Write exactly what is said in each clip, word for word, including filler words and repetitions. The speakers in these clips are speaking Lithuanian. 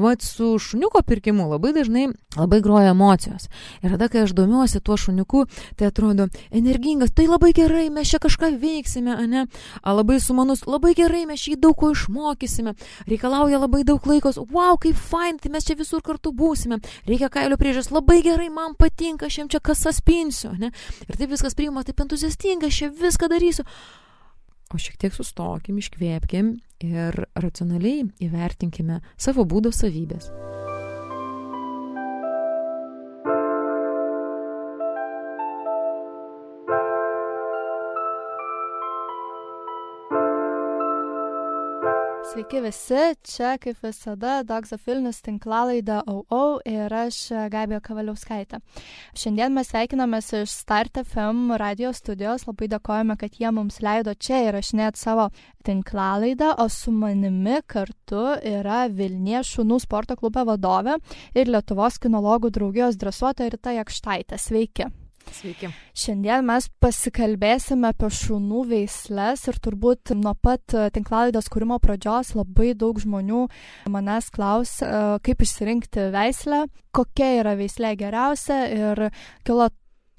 vat su šuniuko pirkimu labai dažnai labai groja emocijos. Ir tada, kai aš domiuosi tuo šuniuku, tai atrodo energingas, tai labai gerai, mes čia kažką veiksime, ane? A, labai sumanus, labai gerai, mes šį daug ko išmokysime. Reikalauja labai daug laikos, wow, kaip fain, tai mes čia visur kartu būsime. Reikia kailio priežiūros, labai gerai, man patinka, aš jam čia kasas pinsiu, ne? Ir taip viskas priima, taip entuziastinga, aš čia viską darysiu. O šiek tiek sustokim, iškvėpkim ir racionaliai įvertinkime savo būdo savybės. Sveiki visi, čia kaip visada Dogs of Vilnius tinklalaida au au ir aš Gabija Kavaliauskaitė. Šiandien mes sveikinamės iš Start F M radio studijos, labai dėkojame, kad jie mums leido čia įrašinėti savo tinklalaidą, o su manimi kartu yra Vilniaus šunų sporto klubo vadovė ir Lietuvos kinologų draugijos dresuotoja Rita Jakštaitė. Sveiki. Sveiki. Šiandien mes pasikalbėsime apie šunų veisles ir turbūt nuo pat tinklalaidos kūrimo pradžios labai daug žmonių manęs klaus, kaip išsirinkti veislę, kokia yra veislė geriausia ir kilo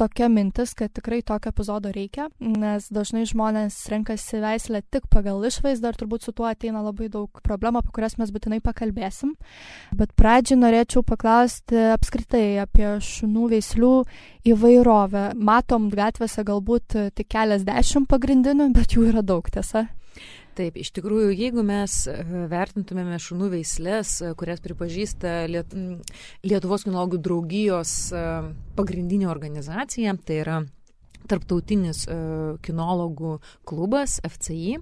tokia mintis, kad tikrai tokio epizodo reikia, nes dažnai žmonės renkasi veislę tik pagal išvaizdą ir turbūt su tuo ateina labai daug problemų, apie kurias mes būtinai pakalbėsim. Bet pradžiai norėčiau paklausti apskritai apie šunų veislių įvairovę. Matom gatvėse galbūt tik keliasdešimt pagrindinių, bet jų yra daug, tiesa? Taip, iš tikrųjų, jeigu mes vertintumėme šunų veislės, kurias pripažįsta Liet... Lietuvos kinologų draugijos pagrindinė organizacija, tai yra tarptautinis kinologų klubas F C I,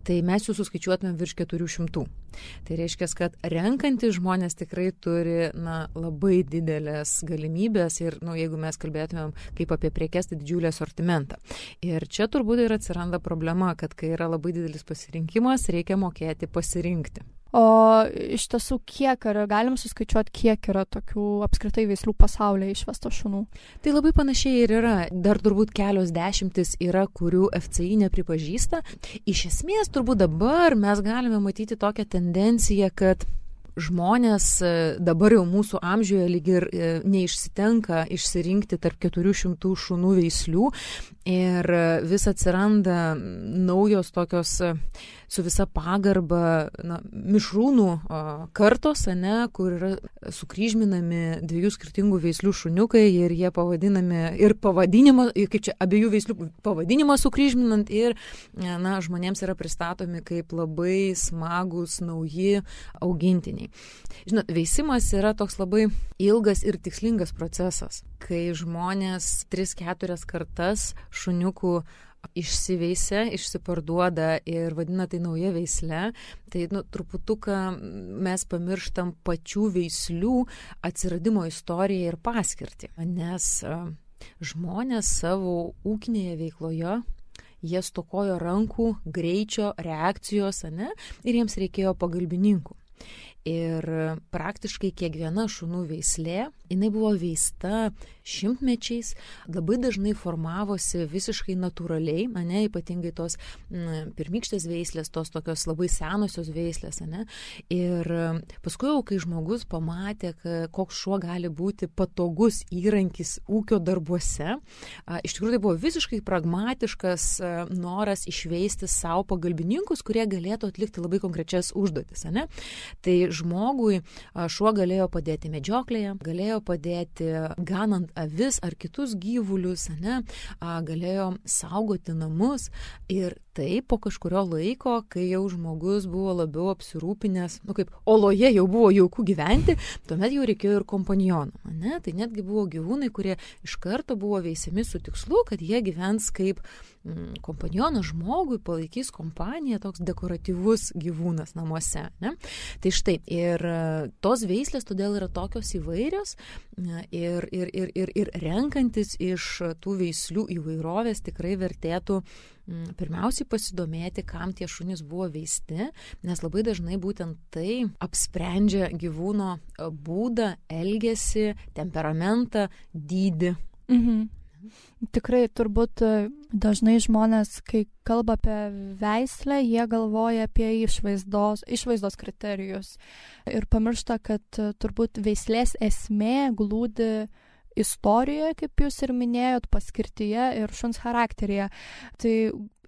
tai mes jų suskaičiuotume virš keturių šimtų. Tai reiškia, kad renkantys žmonės tikrai turi na, labai didelės galimybės ir nu, jeigu mes kalbėtumėm kaip apie prekes, tai didžiulį asortimentą. Ir čia turbūt ir atsiranda problema, kad kai yra labai didelis pasirinkimas, reikia mokėti pasirinkti. O iš tiesų, kiek yra, galim suskaičiuoti, kiek yra tokių apskritai veislių pasaulyje išvesto šunų? Tai labai panašiai ir yra. Dar turbūt kelios dešimtis yra, kurių F C I nepripažįsta. Iš esmės, turbūt dabar mes galime matyti tokią tendenciją, kad žmonės dabar jau mūsų amžiuje lyg ir neišsitenka išsirinkti tarp keturių šimtų šunų veislių ir vis atsiranda naujos tokios su visa pagarba na, mišrūnų kartos, ane, kur yra sukryžminami dviejų skirtingų veislių šuniukai ir jie pavadinami ir pavadinimą, kaip čia abiejų veislių pavadinimą sukryžminant ir na, žmonėms yra pristatomi kaip labai smagus nauji augintiniai. Žinot, veisimas yra toks labai ilgas ir tikslingas procesas, kai žmonės tris keturias kartas šuniukų išsiveisia, išsiparduoda ir vadina tai nauja veisle, tai nu, truputuką mes pamirštam pačių veislių atsiradimo istoriją ir paskirtį, nes uh, žmonės savo ūkinėje veikloje jie stokojo rankų, greičio, reakcijos, ane, ir jiems reikėjo pagalbininkų. Ir praktiškai kiekviena šunų veislė, jinai buvo veista šimtmečiais, labai dažnai formavosi visiškai natūraliai, ane, ypatingai tos m, pirmykštės veislės, tos tokios labai senosios veislės, ane. Ir paskui jau, kai žmogus pamatė, koks šuo gali būti patogus įrankis ūkio darbuose, a, iš tikrųjų tai buvo visiškai pragmatiškas a, noras išveisti savo pagalbininkus, kurie galėtų atlikti labai konkrečias užduotis, ane. Tai žmogui šuo galėjo padėti medžioklėje, galėjo padėti ganant avis ar kitus gyvulius, ane, galėjo saugoti namus ir tai po kažkurio laiko, kai jau žmogus buvo labiau apsirūpinęs, nu kaip oloje jau buvo jauku gyventi, tuomet jau reikėjo ir kompanionų, ane, tai netgi buvo gyvūnai, kurie iš karto buvo veisiami su tikslu, kad jie gyvens kaip mm, kompanionas žmogui, palaikys kompaniją, toks dekoratyvus gyvūnas namuose, ne? Tai štai, ir tos veislės todėl yra tokios įvairios ir, ir, ir, ir, ir renkantis iš tų veislių įvairovės tikrai vertėtų pirmiausiai pasidomėti, kam tie šunys buvo veisti, nes labai dažnai būtent tai apsprendžia gyvūno būdą, elgesį, temperamentą, dydį. Mhm. Tikrai, turbūt dažnai žmonės, kai kalba apie veislę, jie galvoja apie išvaizdos, išvaizdos kriterijus ir pamiršta, kad turbūt veislės esmė glūdi istorijoje, kaip jūs ir minėjot, paskirtyje ir šuns charakteryje. Tai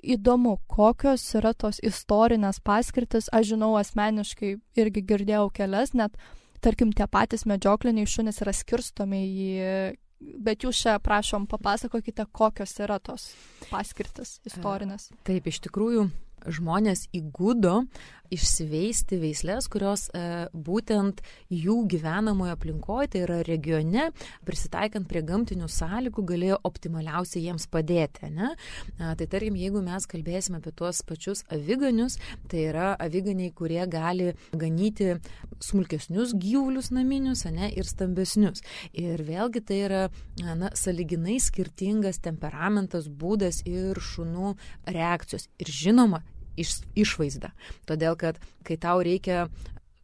įdomu, kokios yra tos istorinės paskirtis. Aš žinau asmeniškai irgi girdėjau kelias, net tarkim tie patys medžiokliniai šunys yra skirstomi į... Bet jūs čia, prašom, papasakokite, kokios yra tos paskirtis istorinės. Taip, iš tikrųjų, žmonės įgudo išsiveisti veislės, kurios e, būtent jų gyvenamoje aplinkoje, tai yra regione, prisitaikant prie gamtinių sąlygų, galėjo optimaliausiai jiems padėti. Ne? E, tai tarkim, jeigu mes kalbėsime apie tuos pačius aviganius, tai yra aviganiai, kurie gali ganyti smulkesnius gyvulius naminius, ne, ir stambesnius. Ir vėlgi tai yra na, sąlyginai skirtingas temperamentas, būdas ir šunų reakcijos. Ir žinoma, iš, išvaizda. Todėl, kad kai tau reikia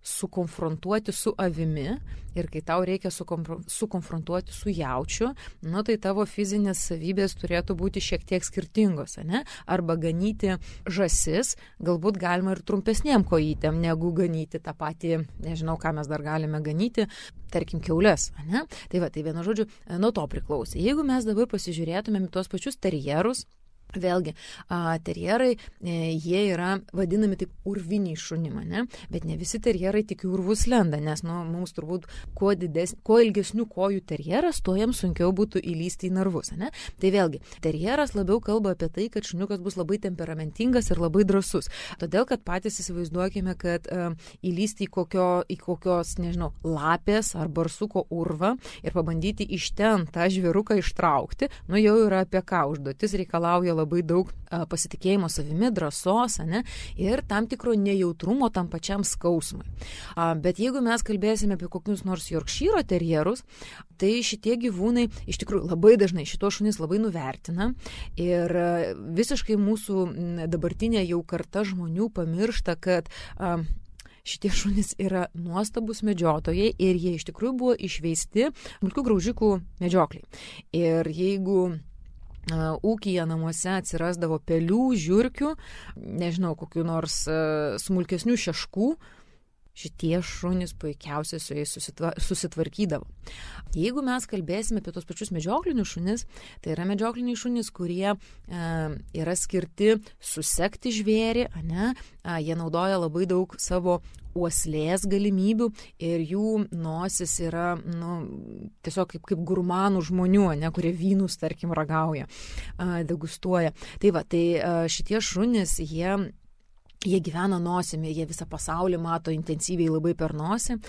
sukonfrontuoti su avimi ir kai tau reikia sukonfrontuoti su jaučiu, nu, tai tavo fizinės savybės turėtų būti šiek tiek skirtingos, ne? Arba ganyti žąsis, galbūt galima ir trumpesniem kojytėm, negu ganyti tą patį, nežinau, ką mes dar galime ganyti, tarkim, kiaules, ne? Tai va, tai vienu žodžiu, nuo to priklausė. Jeigu mes dabar pasižiūrėtumėm tuos pačius terjerus, vėlgi, a, terjerai, e, jie yra vadinami taip urviniai šunim, ne? Bet ne visi terjerai tik į urvus lenda, nes nu, mums turbūt kuo, didesnį, kuo ilgesnių kojų terjeras, tuo jiems sunkiau būtų įlysti į narvus. Ne? Tai vėlgi, terjeras labiau kalba apie tai, kad šuniukas bus labai temperamentingas ir labai drąsus. Todėl, kad patys įsivaizduokime, kad e, įlysti į, kokio, į kokios, nežinau, lapės ar barsuko urvą ir pabandyti iš ten tą žvėruką ištraukti, nu jau yra apie ką užduotis, reikalauja labai labai daug a, pasitikėjimo savimi, drąsos, ne, ir tam tikro nejautrumo tam pačiam skausmui. A, bet jeigu mes kalbėsime apie kokius nors Yorkšyro terjerus, tai šitie gyvūnai iš tikrųjų labai dažnai šitos šunys labai nuvertina ir a, visiškai mūsų dabartinė jau karta žmonių pamiršta, kad a, šitie šunys yra nuostabus medžiotojai ir jie iš tikrųjų buvo išveisti smulkių graužikų medžiokliai. Ir jeigu Uh, ūkyje namuose atsirasdavo pelių, žiurkių, nežinau, kokių nors uh, smulkesnių šeškų, šitie šunys puikiausiai su jais susitva, susitvarkydavo. Jeigu mes kalbėsime apie tos pačius medžioklinius šunis, tai yra medžiokliniai šunys, kurie e, yra skirti susekti žvėrį, ne? A, jie naudoja labai daug savo uoslės galimybių ir jų nosis yra nu, tiesiog kaip, kaip gurmanų žmonių, ne, kurie vynus, tarkim, ragauja, a, degustuoja. Tai va, tai a, šitie šunys, jie Jie gyvena nosimi, jie visą pasaulį mato intensyviai labai per nosį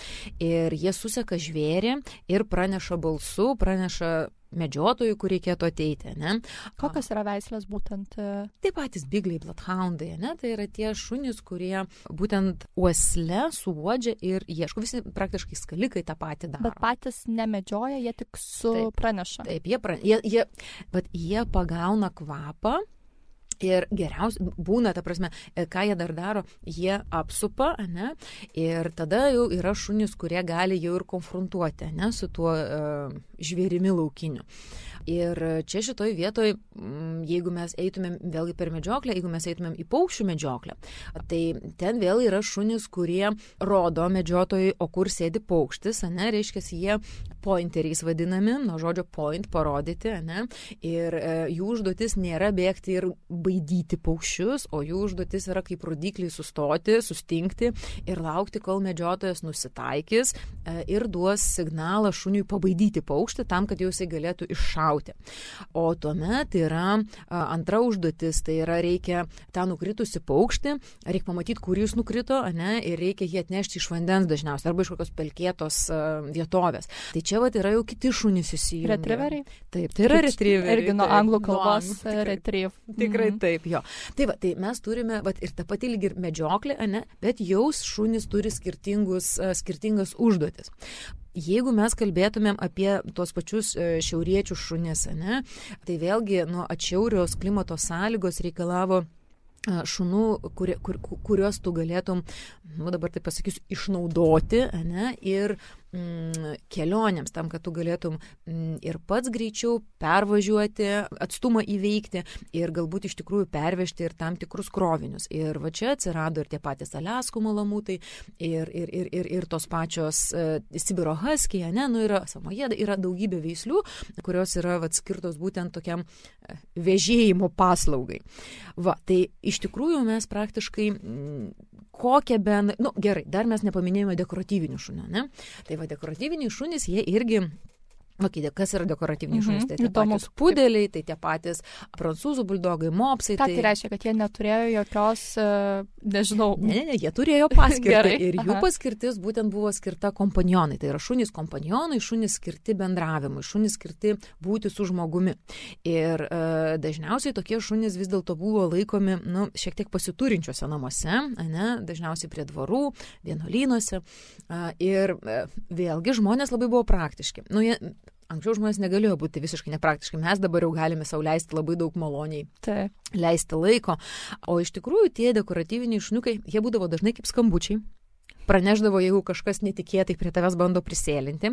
ir jie suseka žvėrį ir praneša balsu, praneša medžiotojui, kur reikėtų ateiti. Ne? Kokios yra veislės būtent? Taip patys bigliai, bloodhoundai, ne? Tai yra tie šunys, kurie būtent uosle suuodžia ir ieško. Visi praktiškai skalikai tą patį daro. Bet patys nemedžioja, jie tik su taip, praneša. Taip, jie, pra, jie, jie, bet jie pagauna kvapą. Ir geriausia būna, ta prasme, ką jie dar daro, jie apsupa, ne, ir tada jau yra šunys, kurie gali jau ir konfrontuoti, ne, su tuo uh, žvėrimi laukiniu. Ir čia šitoj vietoj, jeigu mes eitumėm vėlgi per medžioklę, jeigu mes eitumėm į paukščių medžioklę, tai ten vėl yra šunys, kurie rodo medžiotojai, o kur sėdi paukštis, ne, reiškia, jie pointeriais vadinami, nuo žodžio point, parodyti, ne, ir e, jų užduotis nėra bėgti ir baidyti paukščius, o jų užduotis yra kaip rodikliai sustoti, sustingti ir laukti, kol medžiotojas nusitaikys e, ir duos signalą šuniui pabaidyti paukštį tam, kad jau jisai galėtų iššauti. O tuomet yra a, antra užduotis, tai yra reikia tą nukritusi paukštį, reikia pamatyti, kur jis nukrito, ne, ir reikia jį atnešti iš vandens dažniausiai, arba iš kokios pelkėtos a, vietovės. Tai čia vat yra jau kiti šunys įsijungia. Retrieveriai? Taip, tai yra retrieveriai. Irgi nuo anglų kalbos retrieve. Tikrai mm. taip, jo. Tai va, tai mes turime, vat, ir tą patį lyg ir medžioklę, ne, bet jau šunys turi skirtingus, skirtingas užduotis. Jeigu mes kalbėtumėm apie tuos pačius šiauriečių šunis, ne, tai vėlgi nuo atšiaurios klimato sąlygos reikalavo šunų, kur, kur, kuriuos tu galėtum, nu dabar taip pasakysiu, išnaudoti, ne, ir mm, kelionėms, tam, kad tu galėtum mm, ir pats greičiau pervažiuoti, atstumą įveikti ir galbūt iš tikrųjų pervežti ir tam tikrus krovinius. Ir va čia atsirado ir tie patys Aliaskų malamutai, ir, ir, ir, ir, ir tos pačios uh, Sibiro haskiai, ne, nu yra Samoje, yra daugybė veislių, kurios yra vat, skirtos būtent tokiam uh, vežėjimo paslaugai. Va, tai iš tikrųjų mes praktiškai mm, kokią ben... Nu, gerai, dar mes nepaminėjome dekoratyvinių šunų, ne? Tai va, dekoratyviniai šunys, jie irgi... Okay, kas yra dekoratyviniai šunys? Mhm, tai tie įdomu. patys pudeliai, tai tie patys prancūzų buldogai, mopsai. Ką tai, tai reiškia, kad jie neturėjo jokios, uh, nežinau... Ne, ne, jie turėjo paskirtį. Gerai, ir jų aha. paskirtis būtent buvo skirta kompanionai. Tai yra šunys kompanionai, šunys skirti bendravimui, šunys skirti būti su žmogumi. Ir uh, dažniausiai tokie šunys vis dėlto buvo laikomi, nu, šiek tiek pasiturinčiuose namuose, ne, dažniausiai prie dvarų, vienuolynuose. Uh, ir uh, vėlgi žmonės labai buvo praktiški. Nu, jie, Anksčiau žmonės negalėjo būti visiškai nepraktiškai. Mes dabar jau galime sau leisti labai daug maloniai tai. leisti laiko. O iš tikrųjų tie dekoratyviniai šuniukai, jie būdavo dažnai kaip skambučiai. Praneždavo, jeigu kažkas netikėtai prie tavęs bando prisėlinti.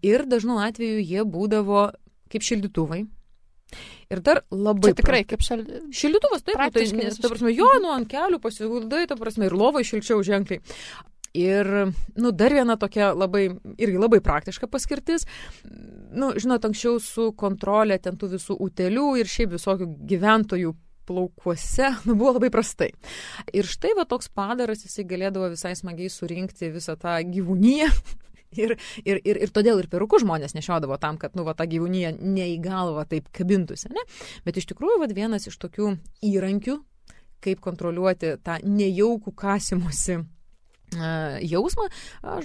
Ir dažnu atveju jie būdavo kaip šildytuvai. Ir dar labai... Čia tikrai kaip šal... Šildytuvas, taip, tai, nes, ta prasme, jo, nu, ant kelių pasiguldai, ta prasme, ir lovai šilčiau ženkliai. Ir, nu, dar viena tokia labai, irgi labai praktiška paskirtis. Nu, žinot, anksčiau su kontrolė ten tų visų utėlių ir šiaip visokių gyventojų plaukuose, nu, buvo labai prastai. Ir štai va toks padaras, jisai galėdavo visai smagiai surinkti visą tą gyvūniją. Ir, ir, ir, ir todėl ir perukus žmonės nešiodavo tam, kad, nu, va, ta gyvūnija ne į galvą taip kabintųsi, ne? Bet iš tikrųjų, va, vienas iš tokių įrankių, kaip kontroliuoti tą nejaukų kasimosi jausmą,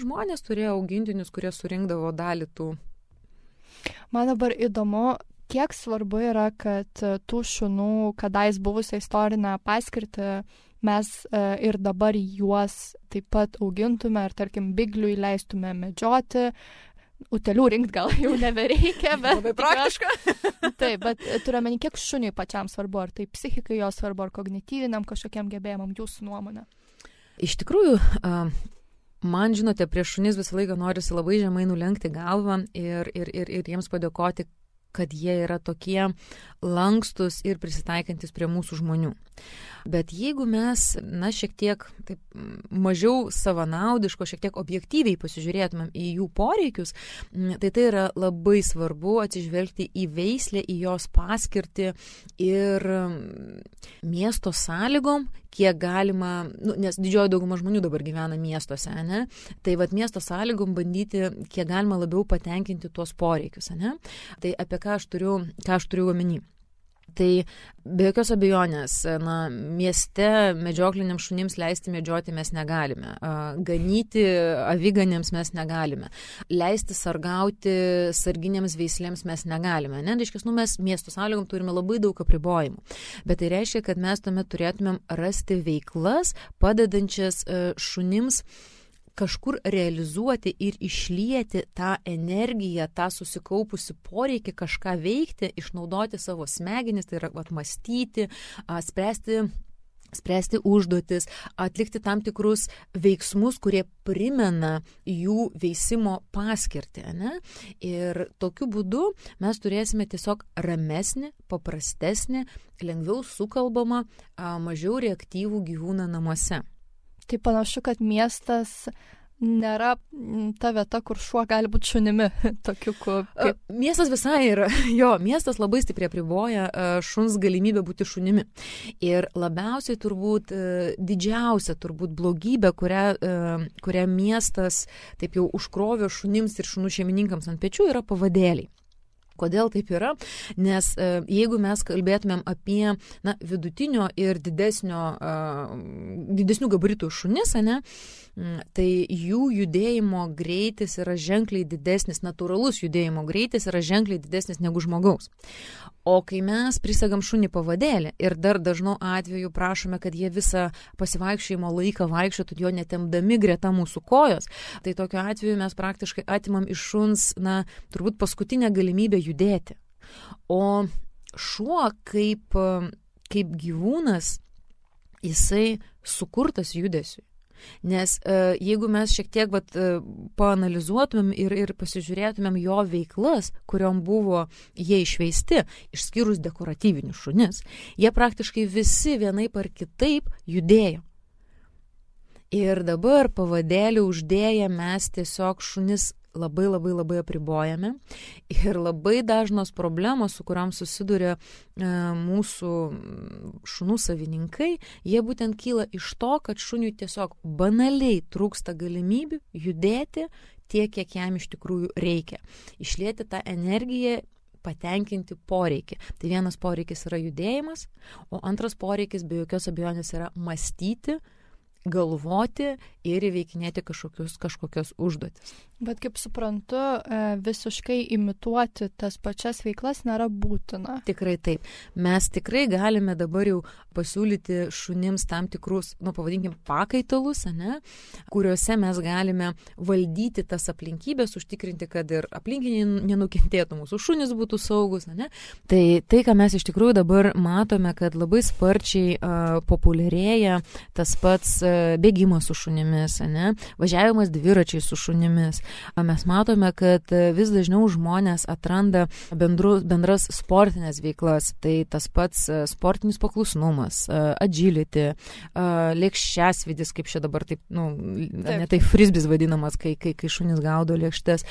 žmonės turėjo augintinius, kurie surinkdavo dalį tų. Man dabar įdomu, kiek svarbu yra, kad tų šunų, kadais buvusią istorinę paskirtį, mes ir dabar juos taip pat augintume ir, tarkim, bigliui leistume medžioti. Utelių rinkti gal jau nebereikia, bet... Labai praktiška. Taip, bet turime, kiek šuniui pačiam svarbu, ar tai psichikai jo svarbu, ar kognityviniam kažkokiam gebėjimam, jūsų nuomonė. Iš tikrųjų, man, žinote, prieš šunis visą laiką norisi labai žemai nulenkti galvą ir, ir, ir, ir jiems padėkoti, kad jie yra tokie lankstus ir prisitaikantis prie mūsų žmonių. Bet jeigu mes, na, šiek tiek taip, mažiau savanaudiško, šiek tiek objektyviai pasižiūrėtumėm į jų poreikius, tai tai yra labai svarbu atsižvelgti į veislę, į jos paskirtį ir miesto sąlygom, kiek galima, nu, nes didžioji dauguma žmonių dabar gyvena miestuose, ne? Tai vat miesto sąlygom bandyti, kiek galima labiau patenkinti tuos poreikius, ne? Tai apie ką aš turiu, ką aš turiu omeny. Tai be jokios abejonės, na, mieste medžiokliniams šunims leisti medžioti mes negalime, ganyti aviganėms mes negalime, leisti sargauti sarginėms veislėms mes negalime. Ne, reiškia, nu, mes miesto sąlygom turime labai daug apribojimų, bet tai reiškia, kad mes tuomet turėtumėm rasti veiklas, padedančias šunims kažkur realizuoti ir išlieti tą energiją, tą susikaupusi poreikį kažką veikti, išnaudoti savo smegenis, tai yra atmastyti, spręsti, spręsti užduotis, atlikti tam tikrus veiksmus, kurie primena jų veisimo paskirtį. Ne? Ir tokiu būdu mes turėsime tiesiog ramesnį, paprastesnį, lengviau sukalbamą, mažiau reaktyvų gyvūną namuose. Tai panašu, kad miestas nėra ta vieta, kur šuo gali būti šunimi. Tokiu, kaip... Miestas visai yra, jo, miestas labai stipriai apriboja šuns galimybę būti šunimi. Ir labiausiai turbūt didžiausia turbūt blogybė, kurią, kurią miestas taip jau užkrovė šunims ir šunų šeimininkams ant pečių, yra pavadėliai. Kodėl taip yra? Nes e, jeigu mes kalbėtumėm apie na, vidutinio ir didesnio, e, didesnių gabaritų šunis, ne, tai jų judėjimo greitis yra ženkliai didesnis, natūralus judėjimo greitis yra ženkliai didesnis negu žmogaus. O kai mes prisegam šunį pavadėlį ir dar dažnu atveju prašome, kad jie visą pasivaikščiojimo laiką vaikščiotų jo netempdami greta mūsų kojos, tai tokiu atveju mes praktiškai atimam iš šuns, na, turbūt paskutinę galimybę judėti. O šuo kaip, kaip gyvūnas, jisai sukurtas judesiui. Nes uh, jeigu mes šiek tiek vat, uh, paanalizuotumėm ir, ir pasižiūrėtumėm jo veiklas, kuriom buvo jie išveisti, išskyrus dekoratyvinius šunis, jie praktiškai visi vienaip ar kitaip judėjo. Ir dabar pavadėlį uždėję mes tiesiog šunis labai labai labai apribojame ir labai dažnos problemos, su kuriam susiduria e, mūsų šunų savininkai, jie būtent kyla iš to, kad šuniui tiesiog banaliai trūksta galimybių judėti tiek, kiek jam iš tikrųjų reikia. Išlieti tą energiją, patenkinti poreikį. Tai vienas poreikis yra judėjimas, o antras poreikis be jokios abejonės yra mąstyti, galvoti ir įveikinėti kažkokius, kažkokios užduotis. Bet kaip suprantu, visiškai imituoti tas pačias veiklas nėra būtina. Tikrai taip. Mes tikrai galime dabar jau pasiūlyti šunims tam tikrus, nu, pavadinkim, pakaitalus, ane, kuriuose mes galime valdyti tas aplinkybės, užtikrinti, kad ir aplinkiniai nenukentėtų, mūsų šunis būtų saugus, ane. Tai tai, ką mes iš tikrųjų dabar matome, kad labai sparčiai uh, populiarėja tas pats uh, bėgimas su šunimis, ane, važiavimas dviračiai su šunimis. Mes matome, kad vis dažniau žmonės atranda bendru, bendras sportinės veiklas, tai tas pats sportinis paklusnumas, agility, lėkščiasvidis, kaip čia dabar taip, nu, taip. Ne tai frisbis vadinamas, kai, kai, kai šunis gaudo lėkštes.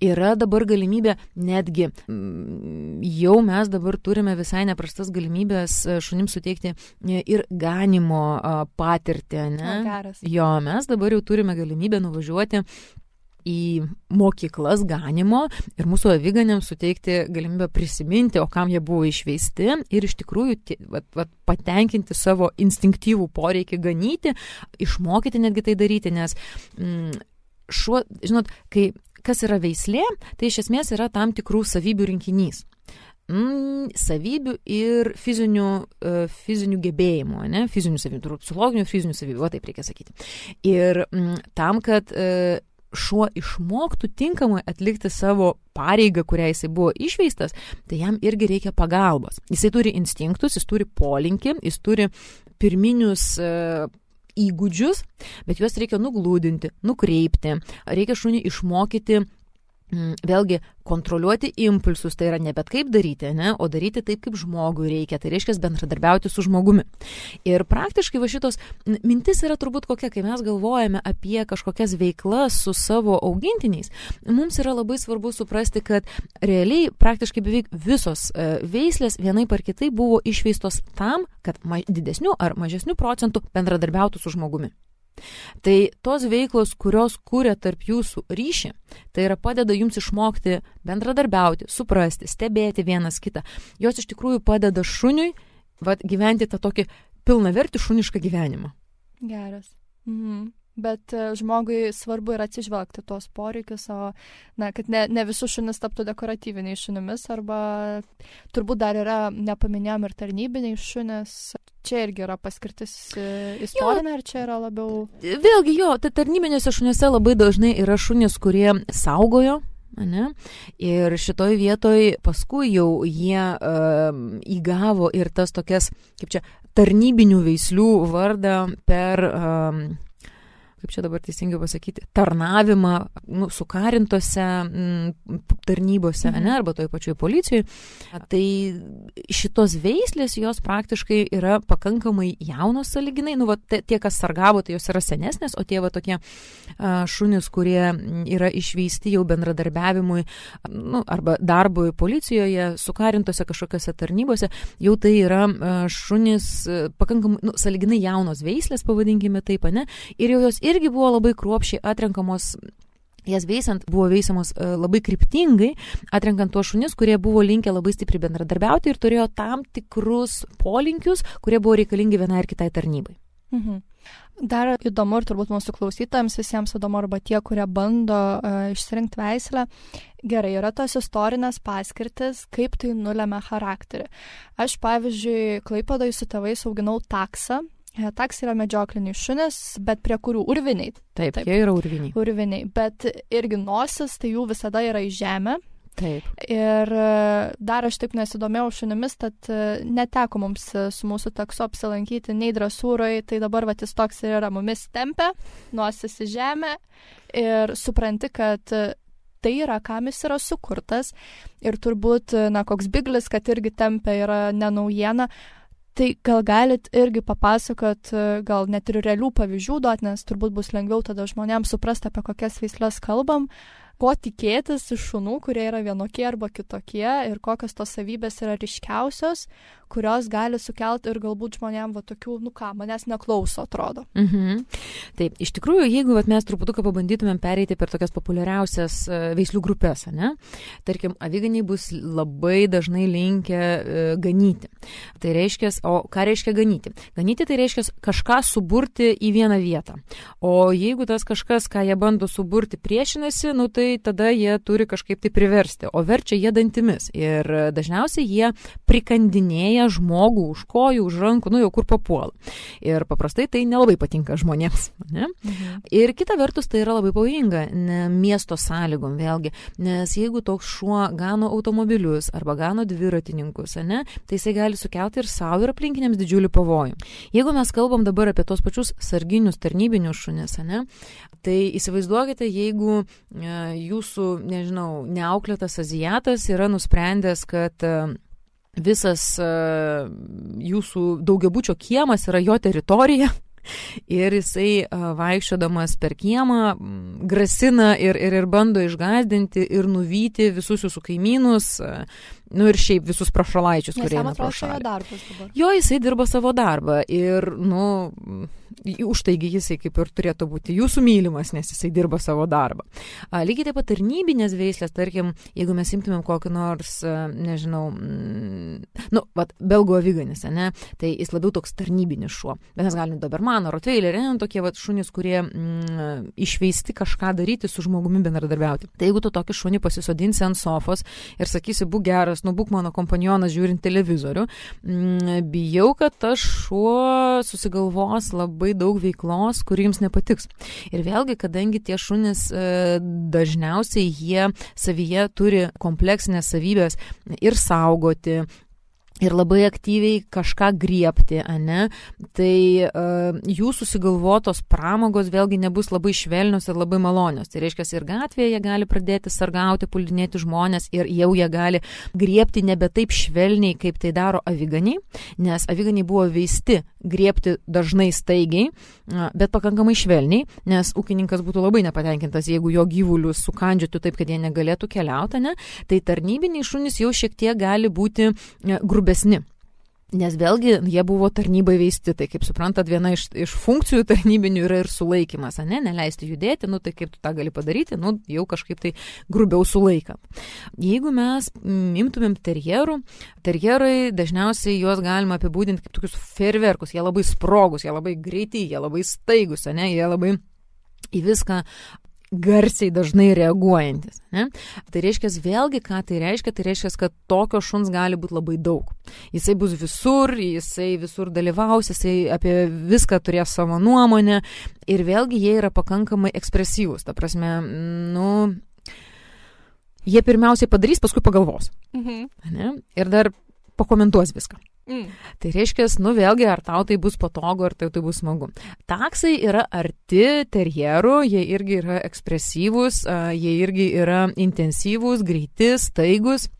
Yra dabar galimybė, netgi jau mes dabar turime visai neprastas galimybės šunims suteikti ir ganimo patirtį, ne? Geras. Jo, mes dabar jau turime galimybę nuvažiuoti į mokyklas ganimo ir mūsų aviganiams suteikti galimybę prisiminti, o kam jie buvo išveisti ir iš tikrųjų t- vat, vat, patenkinti savo instinktyvų poreikį ganyti, išmokyti netgi tai daryti, nes mm, šuo, žinot, kai kas yra veislė, tai iš esmės yra tam tikrų savybių rinkinys. Mm, savybių ir fizinių, uh, fizinių gebėjimų, ne? Fizinių savybių, psichologinių fizinių savybių, o taip reikia sakyti. Ir mm, tam, kad uh, šuo išmoktų tinkamai atlikti savo pareigą, kurią jisai buvo išveistas, tai jam irgi reikia pagalbos. Jisai turi instinktus, jis turi polinkį, jis turi pirminius uh, įgūdžius, bet juos reikia nuglūdinti, nukreipti, reikia šunį išmokyti vėlgi kontroliuoti impulsus, tai yra ne bet kaip daryti, ne, o daryti taip, kaip žmogui reikia, tai reiškia bendradarbiauti su žmogumi. Ir praktiškai va šitos mintis yra turbūt kokia, kai mes galvojame apie kažkokias veiklas su savo augintiniais, mums yra labai svarbu suprasti, kad realiai praktiškai beveik visos veislės vienaip ar kitaip buvo išveistos tam, kad didesnių ar mažesnių procentų bendradarbiautų su žmogumi. Tai tos veiklos, kurios kūrė tarp jūsų ryšį, tai yra padeda jums išmokti bendradarbiauti, suprasti, stebėti vienas kitą. Jos iš tikrųjų padeda šuniui vat, gyventi tą tokį pilnavertį šunišką gyvenimą. Geras. Mhm. Bet žmogui svarbu yra atsižvelgti tos poreikius, o na, kad ne, ne visus šunis taptų dekoratyviniais šunimis, arba turbūt dar yra, nepaminėjom, ir tarnybiniai šunis. Čia irgi yra paskirtis istorinė, ar čia yra labiau... Vėlgi jo, tai tarnybinėse šuniuose labai dažnai yra šunys, kurie saugojo, ne? Ir šitoj vietoj paskui jau jie uh, įgavo ir tas tokias, kaip čia, tarnybinių veislių vardą per... Um, kaip čia dabar teisingai pasakyti, tarnavimą nu, sukarintose m, tarnybose, mhm. ne, arba toj pačioj policijoje. Tai šitos veislės, jos praktiškai yra pakankamai jaunos sąlyginai. Nu, va, tie, kas sargavo, tai jos yra senesnės, o tie va tokie a, šunys, kurie yra išveisti jau bendradarbiavimui, nu, arba darbui policijoje, sukarintose kažkokiose tarnybose, jau tai yra a, šunys a, pakankamai, nu, sąlyginai jaunos veislės, pavadinkime taip, ne, ir jau jos ir irgi buvo labai kruopščiai atrenkamos, jas veisant buvo veisiamos uh, labai kryptingai, atrenkant tuos šunis, kurie buvo linkę labai stipriai bendradarbiauti ir turėjo tam tikrus polinkius, kurie buvo reikalingi vienai ar kitai tarnybai. Mhm. Dar įdomu ir turbūt mūsų klausytojams visiems įdomu, arba tie, kurie bando uh, išsirinkti veislę. Gerai, yra tos istorinės paskirtis, kaip tai nulemia charakterį. Aš, pavyzdžiui, Klaipėdoje su tėvais auginau taksą. Taks yra medžiokliniai šunis, bet prie kurių urviniai. Taip, taip, jie yra urviniai. Urviniai, bet irgi nosis, tai jų visada yra į žemę. Taip. Ir dar aš taip nesidomėjau šunimis, tad neteko mums su mūsų taksu apsilankyti nei dresūroje, tai dabar vat jis toks ir yra, mumis tempia, nosis į žemę ir supranti, kad tai yra, kam jis yra sukurtas ir turbūt, na, koks biglis, kad irgi tempia yra ne naujiena. Tai gal galit irgi papasakot, gal net ir realių pavyzdžių duot, nes turbūt bus lengviau tada žmonėms suprasti, apie kokias veisles kalbam, ko tikėtis iš šunų, kurie yra vienokie arba kitokie ir kokios tos savybės yra ryškiausios, kurios gali sukelti ir galbūt žmonėm va tokių, nu ką, manęs neklauso, atrodo. Mhm. Taip, iš tikrųjų, jeigu vat, mes truputuką pabandytumėm pereiti per tokias populiariausias uh, veislių grupės, ne? Tarkim, aviganiai bus labai dažnai linkę uh, ganyti. Tai reiškia, o ką reiškia ganyti? Ganyti tai reiškia kažką suburti į vieną vietą. O jeigu tas kažkas, ką jie bando suburti, priešinasi, nu tai tada jie turi kažkaip tai priversti, o verčia jie dantimis. Ir dažniausiai jie prikandinėja žmogų už kojų, už rankų, nu jau kur papuola. Ir paprastai tai nelabai patinka žmonėms. Ne? Mhm. Ir kita vertus tai yra labai pavojinga ne, miesto sąlygom vėlgi, nes jeigu toks šuo gano automobilius arba gano dviratininkus, ne, tai jisai gali sukelti ir savo ir aplinkiniams didžiulį pavojų. Jeigu mes kalbam dabar apie tos pačius sarginius, tarnybinius šunis, ne, tai įsivaizduokite, jeigu e, jūsų, nežinau, neauklėtas azijatas yra nusprendęs, kad e, visas uh, jūsų daugiabučio kiemas yra jo teritorija ir jisai uh, vaikščiodamas per kiemą grasina ir, ir, ir bando išgąsdinti ir nuvyti visus jūsų kaimynus, uh, nu ir šiaip visus prašalaičius, kurie eina pro šalį. Jo, jisai dirba savo darbą ir, nu, už taigi jisai kaip ir turėtų būti jūsų mylimas, nes jisai dirba savo darbą. A, lygiai taip pat tarnybinės veislės, tarkim, jeigu mes imtumėm kokį nors, nežinau, mm, nu, vat, belgų aviganis, ne, tai jis labiau toks tarnybinis šuo. Bet mes galim dobermaną, rotveilerį, ne, tokie vat šunys, kurie mm, išveisti kažką daryti su žmogumi bendradarbiauti. Tai jeigu tu tokį šunį pasisodinsi ant sofos ir sakysi, būk geras, nu būk mano kompanionas žiūrint televizorių, mm, bijau, kad tas šuo susigalvos labai daug veiklos, kuri jums nepatiks. Ir vėlgi, kadangi tie šunys e, dažniausiai jie savyje turi kompleksinės savybės ir saugoti, ir labai aktyviai kažką griebti, ane, tai uh, jų susigalvotos pramogos vėlgi nebus labai švelnios ir labai malonios. Tai reiškia, ir gatvėje jie gali pradėti sargauti, puldinėti žmonės ir jau jie gali griebti nebe taip švelniai, kaip tai daro aviganiai, nes aviganiai buvo veisti griebti dažnai staigiai, bet pakankamai švelniai, nes ūkininkas būtų labai nepatenkintas, jeigu jo gyvulius sukandžiotų taip, kad jie negalėtų keliauti, ne? Tai tarnybiniai šunys jau šiek tiek gali būti grubesni. Nes vėlgi jie buvo tarnybai veisti, tai kaip suprantat, viena iš, iš funkcijų tarnybinių yra ir sulaikymas, ne, neleisti judėti, nu tai kaip tu tą gali padaryti, nu jau kažkaip tai grubiau sulaikant. Jeigu mes imtumėm terjerų, terjerai dažniausiai juos galima apibūdinti kaip tokius fejerverkus, jie labai sprogus, jie labai greiti, jie labai staigus, ne, jie labai į viską garsiai dažnai reaguojantis. Ne? Tai reiškia, vėlgi, ką tai reiškia, tai reiškia, kad tokio šuns gali būti labai daug. Jisai bus visur, jisai visur dalyvaus, jisai apie viską turės savo nuomonę ir vėlgi jie yra pakankamai ekspresyvūs. Ta prasme, nu, jie pirmiausiai padarys, paskui pagalvos. Mhm. Ne? Ir dar pakomentuos viską. Mm. Tai reiškia, nu vėlgi, ar tau tai bus patogu, ar tai, tai bus smagu. Taksai yra arti terjerų, jie irgi yra ekspresyvūs, jie irgi yra intensyvūs, greiti, staigus,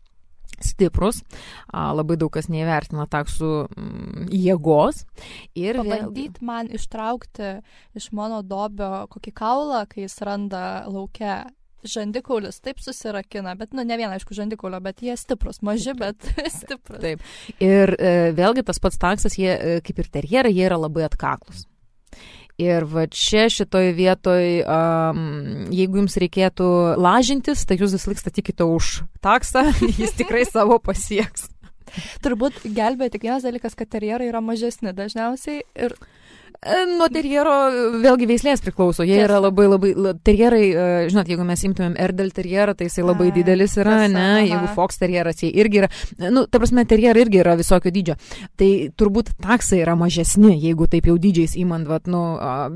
stiprus. Labai daug kas neįvertina taksų mm, jėgos. Ir pabandyt vėlgi man ištraukti iš mano dobio kokį kaulą, kai jis randa lauke. Žandikaulis taip susirakina, bet, nu, ne viena, aišku, žandikaulio, bet jie stiprus, maži, bet stiprus. Taip. Ir e, vėlgi tas pats taksas, jie, e, kaip ir terjerai, jie yra labai atkaklus. Ir va čia šitoj vietoj, um, jeigu jums reikėtų lažintis, tai jūs vis laik statykite už taksą, jis tikrai savo pasieks. Turbūt gelbėja tik vienas dalykas, kad terjerai yra mažesni dažniausiai ir nuo terjero vėlgi veislės priklauso. Jie yra labai, labai, terjerai, žinot, jeigu mes imtumėm Erdel terjerą, tai jisai labai A, didelis yra, tiesa, ne, aha. Jeigu Fox terjeras, jie irgi yra, nu, ta prasme, terjerai irgi yra visokio dydžio. Tai turbūt taksai yra mažesni, jeigu taip jau dydžiais įmant, vat, nu,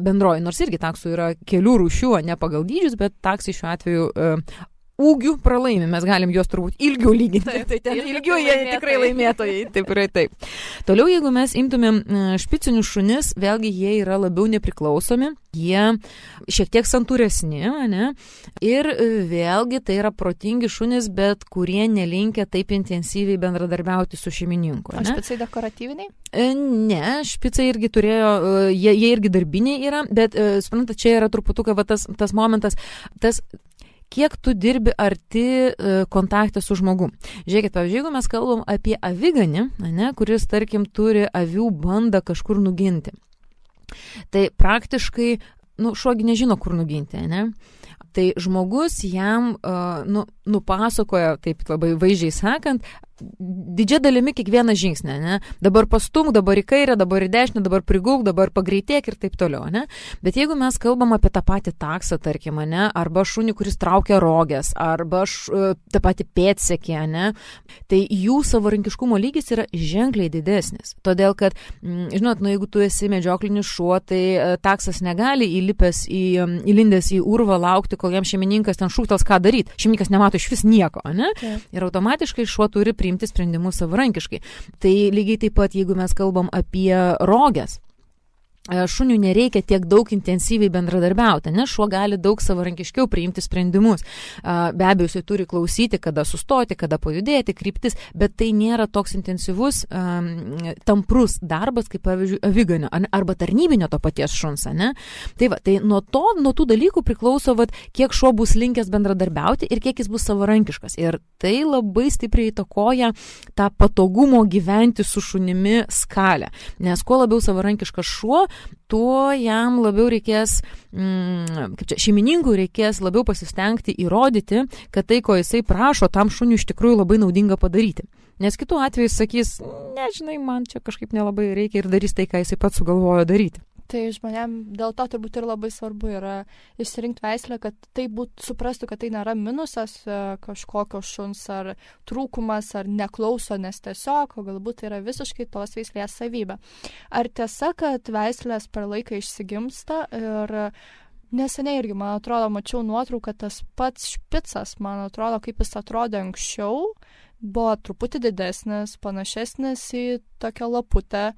bendroji, nors irgi taksų yra kelių rūšių, ne pagal dydžius, bet taksai šiuo atveju ūgių pralaimi, mes galim juos turbūt ilgiau lyginti, taip, tai ten ilgiau jie tikrai laimėtojai, taip ir taip. Toliau, jeigu mes imtumėm špicinius šunis, vėlgi jie yra labiau nepriklausomi, jie šiek tiek santūresni, ne? Ir vėlgi tai yra protingi šunys, bet kurie nelinkia taip intensyviai bendradarbiauti su šeimininku. O špicai dekoratyviniai? Ne, špicai irgi turėjo, jie, jie irgi darbiniai yra, bet, suprantate, čia yra truputuką va, tas, tas momentas, tas kiek tu dirbi arti kontaktą su žmogum. Žiūrėkit, pavyzdžiui, jeigu mes kalbam apie aviganį, ne, kuris, tarkim, turi avių bandą kažkur nuginti, tai praktiškai, nu, šuogi nežino, kur nuginti, ne? Tai žmogus jam uh, nu, nupasakoja, taip labai vaizdžiai sakant, didžia dalimi kiekvieną žingsnį, ne? Dabar pastumk, dabar į kairę, dabar į dešinę, dabar prigulk, dabar pagreitėk ir taip toliau, ne? Bet jeigu mes kalbam apie tą patį taksą, tarkim, ne? Arba šunį, kuris traukia rogės, arba š, tą patį pėdsekį, ne? Tai jų savarankiškumo lygis yra ženkliai didesnis. Todėl, kad, žinot, nu, jeigu tu esi medžioklinis šuo, tai taksas negali įlipęs į, įlindęs į urvą laukti, kol jam šeimininkas ten šūktels, ką daryti. Šeimininkas nemato iš vis nieko, ne? Okay. Ir automatiškai šuo turi priimti sprendimus savarankiškai. Tai lygiai taip pat, jeigu mes kalbam apie roges, šunių nereikia tiek daug intensyviai bendradarbiauti, nes šuo gali daug savarankiškiau priimti sprendimus. Be abejo, jisai turi klausyti, kada sustoti, kada pajudėti, kryptis, bet tai nėra toks intensyvus, tamprus darbas, kaip pavyzdžiui, aviganio arba tarnybinio to paties šuns, ne? Tai va, tai nuo to, nuo tų dalykų priklauso, vat, kiek šuo bus linkęs bendradarbiauti ir kiek jis bus savarankiškas. Ir tai labai stipriai įtakoja tą patogumo gyventi su šunimi skalę. Nes kuo labiau savarankiškas šuo, tuo jam labiau reikės, mm, kaip čia, šeimininkui reikės labiau pasistengti įrodyti, kad tai, ko jisai prašo, tam šuniui iš tikrųjų labai naudinga padaryti. Nes kitu atveju sakys, nežinai, man čia kažkaip nelabai reikia ir darys tai, ką jisai pats sugalvojo daryti. Tai žmonėm dėl to turbūt ir labai svarbu yra išsirinkti veislę, kad tai būt, suprastų, kad tai nėra minusas kažkokio šuns ar trūkumas ar neklauso, nes tiesiog, o galbūt tai yra visiškai tos veislės savybė. Ar tiesa, kad veislės per laiką išsigimsta ir neseniai irgi, man atrodo, mačiau nuotrauką, tas pats špicas, man atrodo, kaip jis atrodė anksčiau, buvo truputį didesnis, panašesnis į tokią laputę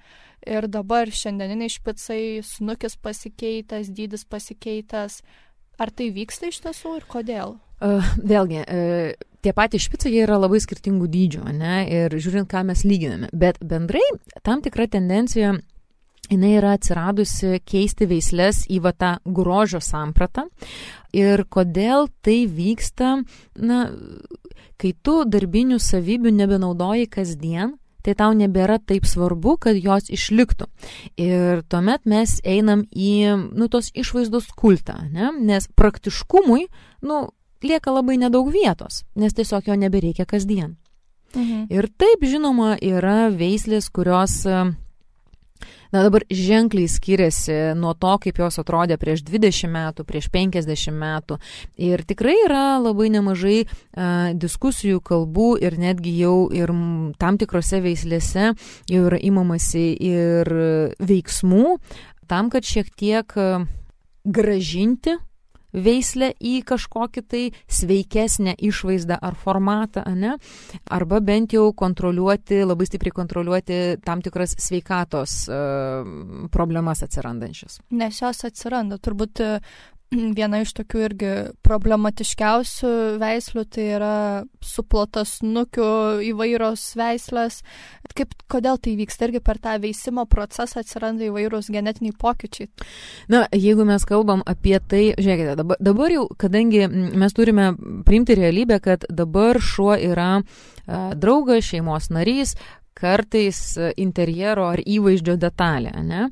ir dabar šiandieniniai špicai, snukis pasikeitęs, dydis pasikeitęs. Ar tai vyksta iš tiesų ir kodėl? Uh, vėlgi, uh, tie patys špicai jie yra labai skirtingų dydžių, ne? Ir žiūrint, ką mes lyginame. Bet bendrai tam tikra tendencija jinai yra atsiradusi keisti veislės į va tą grožio sampratą. Ir kodėl tai vyksta, na, kai tu darbinių savybių nebenaudoji kasdien, tai tau nebėra taip svarbu, kad jos išliktų. Ir tuomet mes einam į, nu, tos išvaizdos kultą, ne? Nes praktiškumui, nu, lieka labai nedaug vietos, nes tiesiog jo nebereikia kasdien. Mhm. Ir taip, žinoma, yra veislės, kurios na, dabar ženkliai skiriasi nuo to, kaip jos atrodė prieš dvidešimt metų, prieš penkiasdešimt metų. Ir tikrai yra labai nemažai a, diskusijų, kalbų ir netgi jau ir tam tikrose veislėse jau yra imamasi ir veiksmų tam, kad šiek tiek gražinti veislę į kažkokį tai sveikesnę išvaizdą ar formatą, ne? Arba bent jau kontroliuoti, labai stipriai kontroliuoti tam tikras sveikatos uh, problemas atsirandančias. Nes jos atsiranda, turbūt viena iš tokių irgi problematiškiausių veislių, tai yra suplotasnukių įvairios veislės. Kaip, kodėl tai vyksta? Irgi per tą veisimo procesą atsiranda įvairūs genetiniai pokyčiai. Na, jeigu mes kalbam apie tai, žiūrėkite, dabar, dabar jau, kadangi mes turime priimti realybę, kad dabar šuo yra a, draugas, šeimos narys, kartais interjero ar įvaizdžio detalė, ne?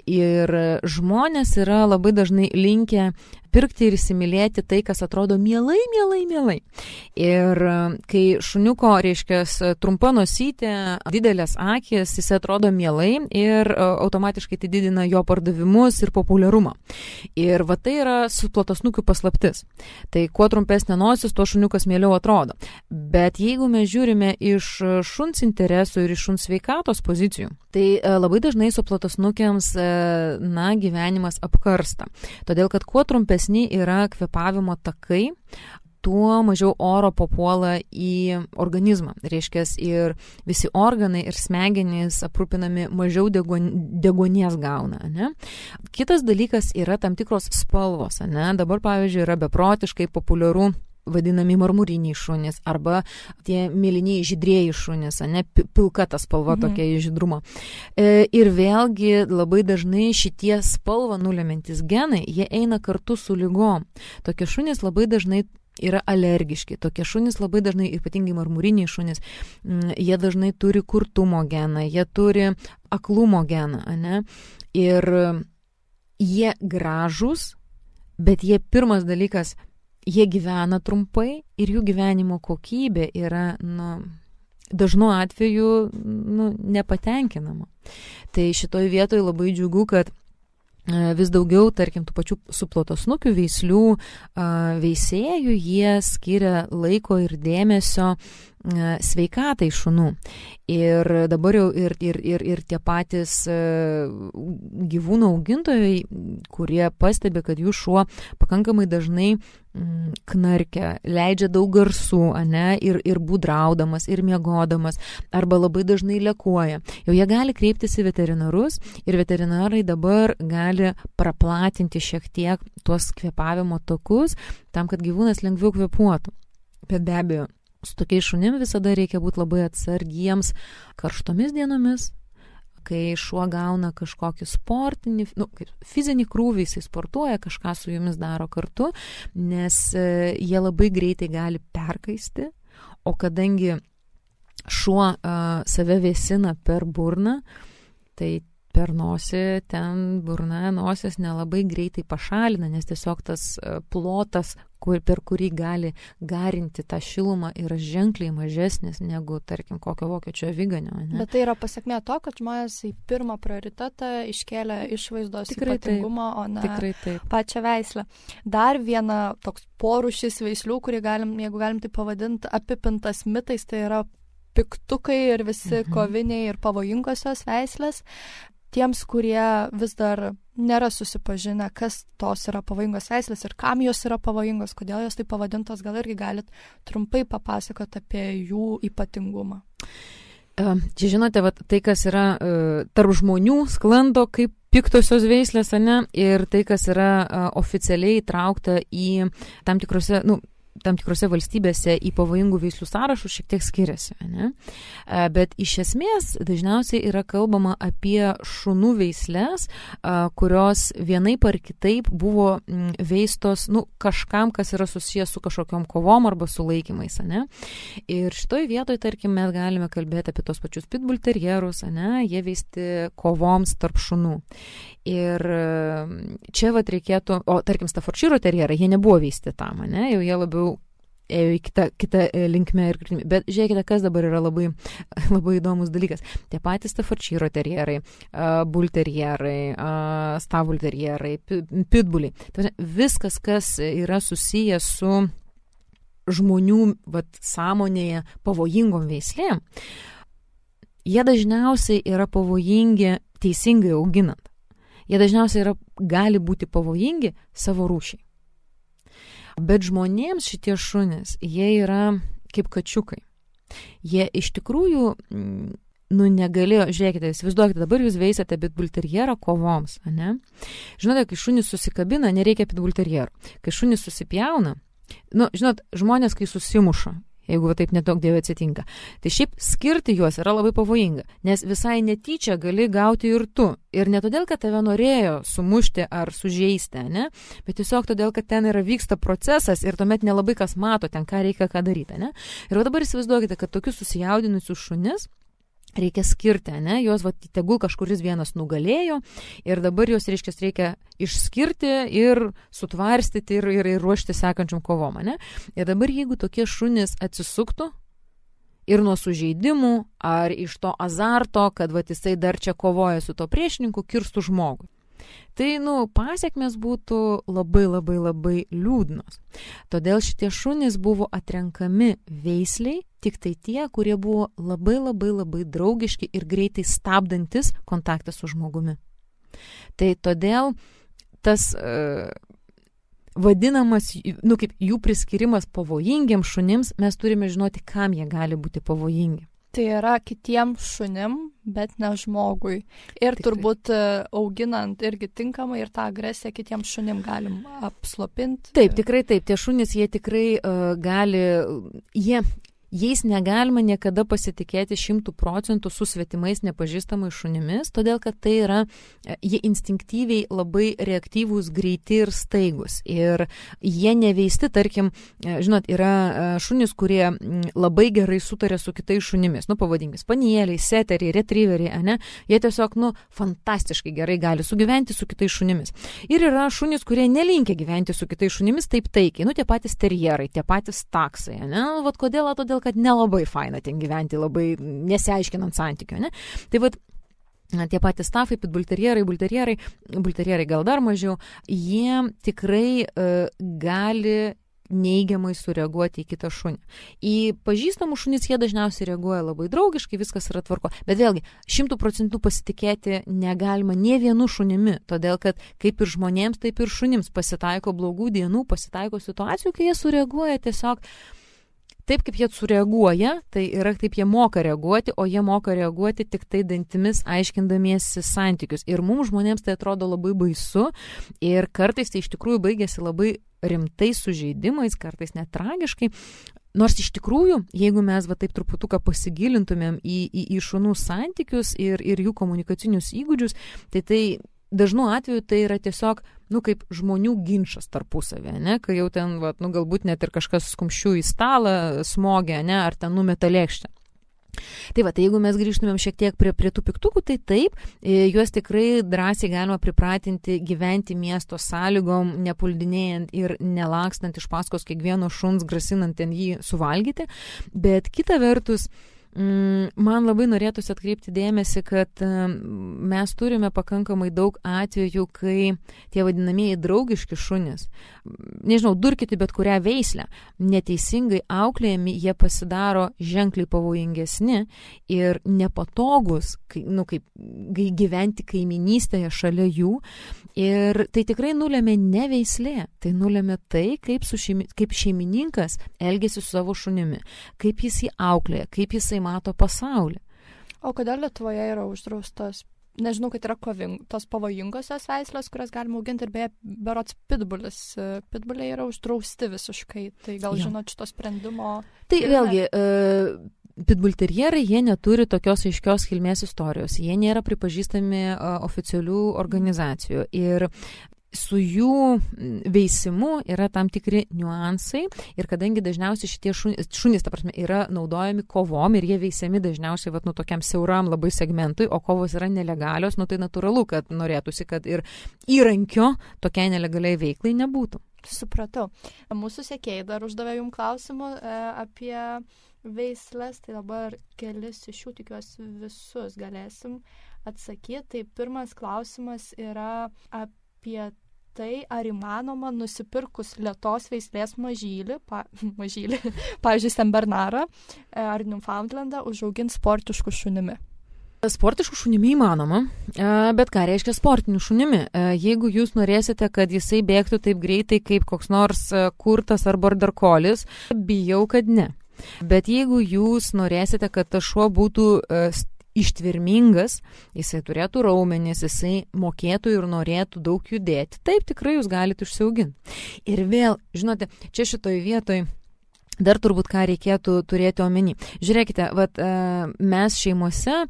Ir žmonės yra labai dažnai linkę pirkti ir įsimylėti tai, kas atrodo mielai, mielai, mielai. Ir kai šuniuko, reiškia, trumpa nosytė, didelės akis, jis atrodo mielai ir automatiškai tai didina jo pardavimus ir populiarumą. Ir va tai yra suplotasnukių paslaptis. Tai kuo trumpesnė nosis, tuo šuniukas mieliau atrodo. Bet jeigu mes žiūrime iš šuns interesų ir iš šuns sveikatos pozicijų, tai labai dažnai suplotasnukiams, na, gyvenimas apkarsta. Todėl, kad kuo trumpesni yra kvėpavimo takai, tuo mažiau oro papuola į organizmą. Reiškia, ir visi organai ir smegenys aprūpinami mažiau deguonies gauna. Ne? Kitas dalykas yra tam tikros spalvos. Ne? Dabar, pavyzdžiui, yra beprotiškai populiaru vadinami marmuriniai šunys arba tie mėlyniai žydrieji šunys, ne, pilka ta spalva mhm. tokia žydrumo. E, ir vėlgi labai dažnai šitie spalvą nulemantis genai, jie eina kartu su lygom. Tokie šunys labai dažnai yra alergiški, tokie šunys labai dažnai, ypatingai marmuriniai šunys, jie dažnai turi kurtumo geną, jie turi aklumo geną, ne, ir jie gražūs, bet jie pirmas dalykas, jie gyvena trumpai ir jų gyvenimo kokybė yra, nu, dažnu atveju, nu, nepatenkinama. Tai šitoj vietoj labai džiugu, kad vis daugiau, tarkim, tų pačių suplotosnukių veislių veisėjų, jie skiria laiko ir dėmesio sveikatai šunų. Ir dabar jau ir, ir, ir, ir tie patys gyvūnų augintojai, kurie pastebi, kad jų šuo pakankamai dažnai knarkia, leidžia daug garsų, ane, ir, ir būdraudamas, ir miegodamas, arba labai dažnai lekuoja. Jau jie gali kreiptis į veterinarus ir veterinarai dabar gali praplatinti šiek tiek tuos kvėpavimo takus, tam, kad gyvūnas lengviau kvėpuotų. Bet be abejo, su tokiais šunim visada reikia būti labai atsargiems karštomis dienomis, kai šuo gauna kažkokį sportinį, nu, fizinį krūvį, jisai sportuoja, kažką su jumis daro kartu, nes jie labai greitai gali perkaisti, o kadangi šuo uh, save vėsina per burną, tai per nosį ten burna, nosis nelabai greitai pašalina, nes tiesiog tas plotas, kur, per kurį gali garinti tą šilumą, yra ženkliai mažesnis negu, tarkim, kokio vokiečio aviganio. Ne? Bet tai yra pasiekmė to, kad žmonės į pirmą prioritetą iškėlė išvaizdos tikrai ypatingumą, taip, o ne tikrai taip. Pačią veislę. Dar viena toks porūšis veislių, kurį galim, jeigu galim tai pavadinti, apipintas mitais, tai yra piktukai ir visi mhm. koviniai ir pavojingosios veislės. Tiems, kurie vis dar nėra susipažinę, kas tos yra pavojingos veislės ir kam jos yra pavojingos, kodėl jos tai pavadintos, gal irgi galit trumpai papasakoti apie jų ypatingumą. Čia žinote, vat, tai, kas yra uh, tarp žmonių sklando kaip piktosios veislės, ne, ir tai, kas yra uh, oficialiai įtraukta į tam tikrose, nu, tam tikrose valstybėse į pavojingų veislių sąrašus šiek tiek skiriasi. Ne? Bet iš esmės dažniausiai yra kalbama apie šunų veislės, kurios vienaip ar kitaip buvo veistos, nu, kažkam, kas yra susijęs su kažkokiom kovom arba sulaikymais. Ne? Ir šitoj vietoj, tarkim, mes galime kalbėti apie tos pačius pitbull terjerus, ne? Jie veisti kovoms tarp šunų. Ir čia vat reikėtų, o tarkim Staffordshire terjerai, jie nebuvo veisti tam, ne? Jau jie labiau ėjo į kitą, kitą linkmę ir kryptį. Bet žiūrėkite, kas dabar yra labai, labai įdomus dalykas. Tie patys Staffordshire terjerai, bull terjerai, stable terjerai, pitbulliai. Viskas, kas yra susijęs su žmonių vat, sąmonėje pavojingom veislėm, jie dažniausiai yra pavojingi teisingai auginant. Jie dažniausiai yra, gali būti pavojingi savo rūšiai. Bet žmonėms šitie šunys, jie yra kaip kačiukai. Jie iš tikrųjų, nu, negalėjo, žiūrėkite, įsivaizduokite, dabar jūs veisate pitbull terjerą kovoms, ne? Žinote, kai šunys susikabina, nereikia pitbull terjerų. Kai šunys susipjauna, nu, žinot, žmonės, kai susimuša, jeigu va taip nedaug dievė atsitinka. Tai šiaip skirti juos yra labai pavojinga, nes visai netyčia gali gauti ir tu. Ir ne todėl, kad tave norėjo sumušti ar sužeisti, ne? Bet tiesiog todėl, kad ten yra vyksta procesas ir tuomet nelabai kas mato ten, ką reikia, ką daryti, ne? Ir va dabar įsivaizduokite, kad tokius susijaudinusius šunis reikia skirti, ne? Jos, va, tegul kažkuris vienas nugalėjo ir dabar jos, reiškia, reikia išskirti ir sutvarstyti ir, ir, ir ruošti sekančiam kovom, ne? Ir dabar, jeigu tokie šunys atsisuktų ir nuo sužeidimų ar iš to azarto, kad, va, jisai dar čia kovoja su to priešininku, kirstų žmogui. Tai, nu, pasiekmės būtų labai, labai, labai liūdnos. Todėl šitie šunys buvo atrenkami veisliai, tik tai tie, kurie buvo labai, labai, labai draugiški ir greitai stabdantis kontaktą su žmogumi. Tai todėl tas uh, vadinamas, nu kaip jų priskirimas pavojingiams šunims, mes turime žinoti, kam jie gali būti pavojingi. Tai yra kitiem šunim, bet ne žmogui. Ir tikrai. Turbūt auginant irgi tinkamai ir tą agresiją kitiem šunim galim apslopinti. Taip, tikrai taip. Tie šunys, jie tikrai uh, gali, jie... Jais negalima niekada pasitikėti šimtų procentų su svetimais nepažįstamais šunimis, todėl kad tai yra, jie instinktyviai labai reaktyvūs, greiti ir staigus. Ir jie neveisti, tarkim, žinot, yra šunys, kurie labai gerai sutarė su kitais šunimis, nu pavadinkime, spanieliai, seteriai, retrieveriai, ne? Jie tiesiog, nu, fantastiškai gerai gali sugyventi su kitais šunimis. Ir yra šunys, kurie nelinkia gyventi su kitais šunimis taip taikiai, nu tie patys terjerai, tie patys taksai, ne? Vat kodėl, todėl kad nelabai faina ten gyventi, labai nesiaiškinant santykio, ne? Tai vat, tie patys stafai, pitbulterjerai, bulterjerai, bulterjerai gal dar mažiau, jie tikrai uh, gali neigiamai sureaguoti į kitą šunį. Į pažįstamų šunis jie dažniausiai reaguoja labai draugiškai, viskas yra tvarko. Bet vėlgi, šimtų procentų pasitikėti negalima nie vienu šunimi, todėl kad kaip ir žmonėms, taip ir šunims pasitaiko blogų dienų, pasitaiko situacijų, kai jie sureaguoja tiesiog taip, kaip jie sureaguoja, tai yra taip jie moka reaguoti, o jie moka reaguoti tik tai dantimis, aiškindamiesi santykius. Ir mums žmonėms tai atrodo labai baisu ir kartais tai iš tikrųjų baigėsi labai rimtais sužeidimais, kartais net tragiškai. Nors iš tikrųjų, jeigu mes va taip truputuką pasigilintumėm į, į, į šunų santykius ir, ir jų komunikacinius įgūdžius, tai tai dažnu atveju tai yra tiesiog, nu, kaip žmonių ginčas tarpusavė, ne, kai jau ten, va, nu, galbūt net ir kažkas skumščių į stalą smogia, ne, ar ten numeta lėkštę. Tai va, tai jeigu mes grįžtumėm šiek tiek prie, prie tų piktukų, tai taip, juos tikrai drąsiai galima pripratinti gyventi miesto sąlygom, nepuldinėjant ir nelakstant iš paskos kiekvieno šuns, grasinant ten jį suvalgyti, bet kita vertus, man labai norėtųsi atkreipti dėmesį, kad mes turime pakankamai daug atvejų, kai tie vadinamieji draugiški šunys, nežinau, durkyti bet kurią veislę, neteisingai auklėjami, jie pasidaro ženkliai pavojingesni ir nepatogus, kai, nu, kaip gyventi kaiminystėje šalia jų. Ir tai tikrai nulėmė ne veislė, tai nulėmė tai, kaip, su šeimi, kaip šeimininkas elgėsi su savo šunimi, kaip jis jį auklėja, kaip jisai mato pasaulį. O kodėl Lietuvoje yra uždraustos, nežinau, kad yra koving, tos pavojingosios veislės, kurias galima auginti, ir beje, berods pitbulis, pitbuliai yra uždrausti visiškai, tai gal jo. Žinot šito sprendimo? Tai vėlgi, uh, pitbulterjerai, jie neturi tokios aiškios kilmės istorijos, jie nėra pripažįstami uh, oficialių organizacijų ir su jų veisimu yra tam tikri niuansai ir kadangi dažniausiai šitie šunys, šunys ta prasme, yra naudojami kovom ir jie veisiami dažniausiai vat, nu, tokiam siauram labai segmentui, o kovos yra nelegalios, nu tai natūralu, kad norėtųsi, kad ir įrankio tokiai nelegaliai veiklai nebūtų. Supratau. Mūsų sekėjai dar uždavė jums klausimų e, apie veislės, tai dabar kelis iš jų, tikiuosi visus galėsim atsakyti. Tai pirmas klausimas yra apie tai, ar įmanoma nusipirkus lėtos veislės mažylį, pa, mažylį, pavyzdžiui, Senbernarą ar Newfoundlandą, užauginti sportiškų šunimi. Sportiškų šunimi įmanoma, bet ką reiškia sportinių šunimi? Jeigu jūs norėsite, kad jisai bėgtų taip greitai kaip koks nors kurtas ar border collies, bijau, kad ne. Bet jeigu jūs norėsite, kad tas šuo būtų ištvermingas, jisai turėtų raumenis, jisai mokėtų ir norėtų daug judėti, taip tikrai jūs galite užsiauginti. Ir vėl, žinote, čia šitoj vietoj dar turbūt ką reikėtų turėti omeny. Žiūrėkite, vat, mes šeimose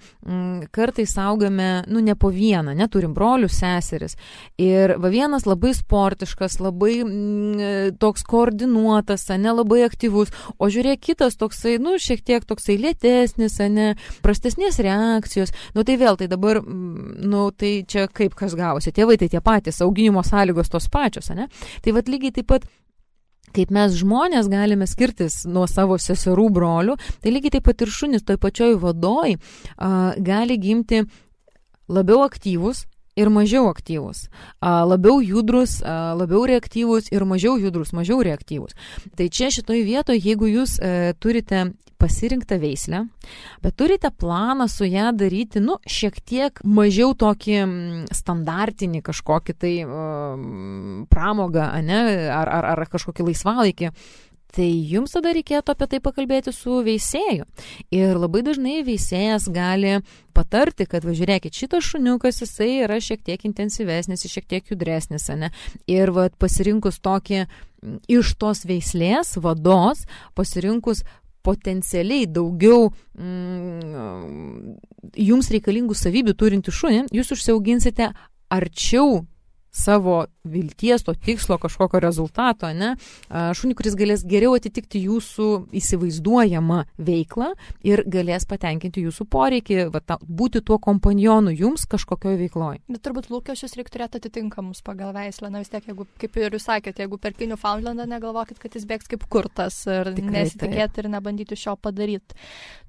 kartais augame, nu, ne po vieną, neturim brolių, seseris. Ir va vienas labai sportiškas, labai m, toks koordinuotas, ne labai aktyvus, o žiūrėk kitas toksai, nu, šiek tiek toksai lėtesnis, ne, prastesnės reakcijos. Nu, tai vėl, tai dabar, nu, tai čia kaip kas gavosi. Tėvai tai tie patys, auginimo sąlygos tos pačios, ne? Tai vat lygiai taip pat kaip mes žmonės galime skirtis nuo savo seserų brolių, tai lygiai taip pat ir šunys toj pačioj vadoj a, gali gimti labiau aktyvus ir mažiau aktyvus, a, labiau judrus, a, labiau reaktyvus ir mažiau judrus, mažiau reaktyvus. Tai čia šitoj vietoje, jeigu jūs e, turite pasirinktą veislę, bet turite planą su ją daryti, nu, šiek tiek mažiau tokį standartinį kažkokį tai um, pramogą, ane, ar, ar, ar kažkokį laisvalaikį, tai jums tada reikėtų apie tai pakalbėti su veisėju. Ir labai dažnai veisėjas gali patarti, kad, važiuokit, šitas šuniukas, jisai yra šiek tiek intensyvesnis, šiek tiek judresnis, ne? Ir va, pasirinkus tokį iš tos veislės vados, pasirinkus potencialiai daugiau mm, jums reikalingų savybių turinti šunį, jūs užsiauginsite arčiau savo vilties, to tikslo, kažkokio rezultato, ne? Šunį, kuris galės geriau atitikti jūsų įsivaizduojamą veiklą ir galės patenkinti jūsų poreikį, va, ta, būti tuo kompanjonu jums kažkokioje veikloje. Bet turbūt lūkesčius reikia turėti atitinkamus pagal veislę. Na vis tiek, jeigu, kaip ir jūs sakėte, jeigu perki Newfoundlandą, negalvokit, kad jis bėgs kaip kurtas ir tikrai nesitikėti ir nebandyti šio padaryti.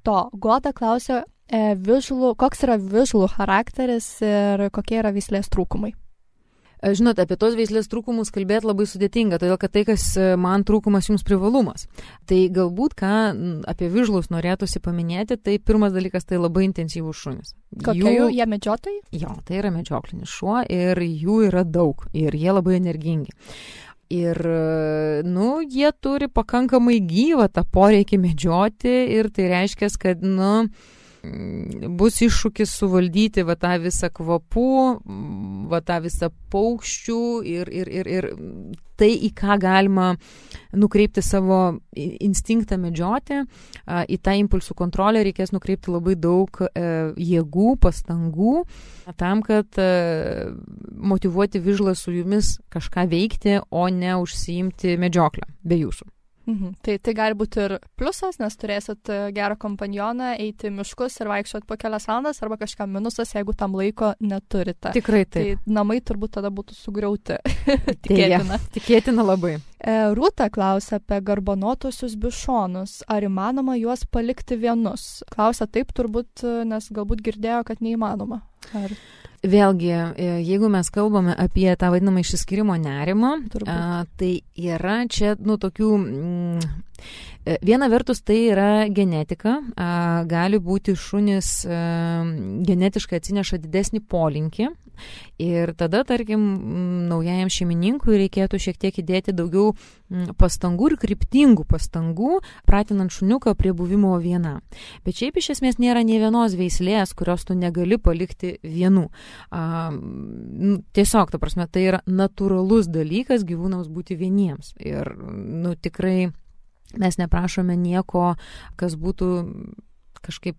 To, Goda klausia, e, visualų, koks yra visualų charakteris ir kokie yra veislės trūkumai? Žinote, apie tos veislės trūkumus kalbėti labai sudėtinga, todėl kad tai, kas man trūkumas, jums privalumas. Tai galbūt, ką apie vižlus norėtųsi paminėti, tai pirmas dalykas, tai labai intensyvūs šunys. Kokie jų, jie medžiotojai? Jo, tai yra medžioklinis šuo ir jų yra daug ir jie labai energingi. Ir, nu, jie turi pakankamai gyvą tą poreikį medžioti ir tai reiškia, kad, nu, bus iššūkis suvaldyti va tą visą kvapų, va tą visą paukščių ir, ir, ir, ir tai, į ką galima nukreipti savo instinktą medžioti, į tą impulsų kontrolę reikės nukreipti labai daug jėgų, pastangų, tam, kad motyvuoti vižlą su jumis kažką veikti, o ne užsiimti medžioklę be jūsų. Mhm. Tai, tai gali būti ir pliusas, nes turėsit gerą kompanioną, eiti miškus ir vaikščioti po kelias valandas, arba kažką minusas, jeigu tam laiko neturite. Tikrai taip. Tai namai turbūt tada būtų sugriauti. Tikėtina. Tikėtina labai. Rūta klausia apie garbanotosius bišonus. Ar įmanoma juos palikti vienus? Klausia taip turbūt, nes galbūt girdėjo, kad neįmanoma. Ar... Vėlgi, jeigu mes kalbame apie tą vadinamą išsiskyrimo nerimą, a, tai yra čia, nu, tokių... Mm, viena vertus tai yra genetika, a, gali būti šunis a, genetiškai atsineša didesnį polinkį ir tada, tarkim, naujajam šeimininkui reikėtų šiek tiek įdėti daugiau pastangų ir kryptingų pastangų, pratinant šuniuką prie buvimo viena. Bet šiaip iš esmės nėra nė vienos veislės, kurios tu negali palikti vienų. A, tiesiog, ta prasme, tai yra natūralus dalykas gyvūnams būti vieniems. Ir, nu, tikrai mes neprašome nieko, kas būtų kažkaip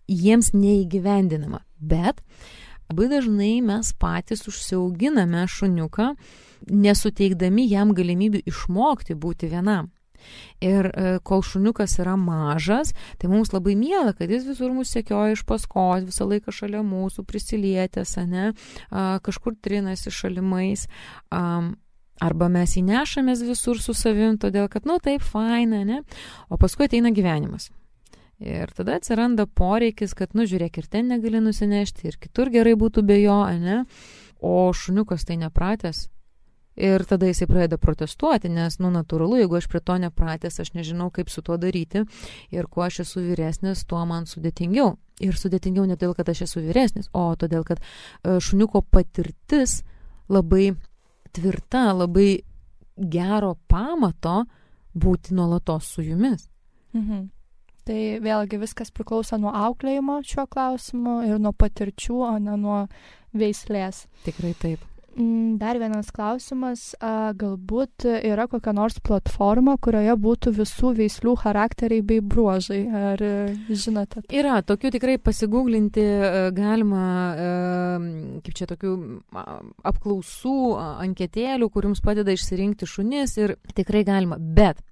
jiems neįgyvendinama. Bet labai dažnai mes patys užsiauginame šuniuką, nesuteikdami jam galimybių išmokti būti vienam. Ir kol šuniukas yra mažas, tai mums labai miela, kad jis visur mus sekioja iš paskos, visą laiką šalia mūsų prisilietęs, ane, kažkur trinasi šalimais. Arba mes įnešamės visur su savim, todėl kad, nu, taip, faina, ne? O paskui ateina gyvenimas. Ir tada atsiranda poreikis, kad, nu, žiūrėk, ir ten negali nusinešti, ir kitur gerai būtų be jo, ne? O šuniukas tai nepratęs. Ir tada jisai pradeda protestuoti, nes, nu, natūralu, jeigu aš prie to nepratęs, aš nežinau, kaip su tuo daryti. Ir kuo aš esu vyresnis, tuo man sudėtingiau. Ir sudėtingiau ne todėl, kad aš esu vyresnis, o todėl, kad šuniuko patirtis labai tvirta, labai gero pamato būti nuolatos su jumis. Mhm. Tai vėlgi viskas priklauso nuo auklėjimo šiuo klausimu ir nuo patirčių, o ne nuo veislės. Tikrai taip. Dar vienas klausimas, a, galbūt yra kokia nors platforma, kurioje būtų visų veislių charakteriai bei bruožai, ar žinote? Yra, tokių tikrai pasigūglinti galima, kaip čia tokių apklausų, anketėlių, kur jums padeda išsirinkti šunis ir tikrai galima, bet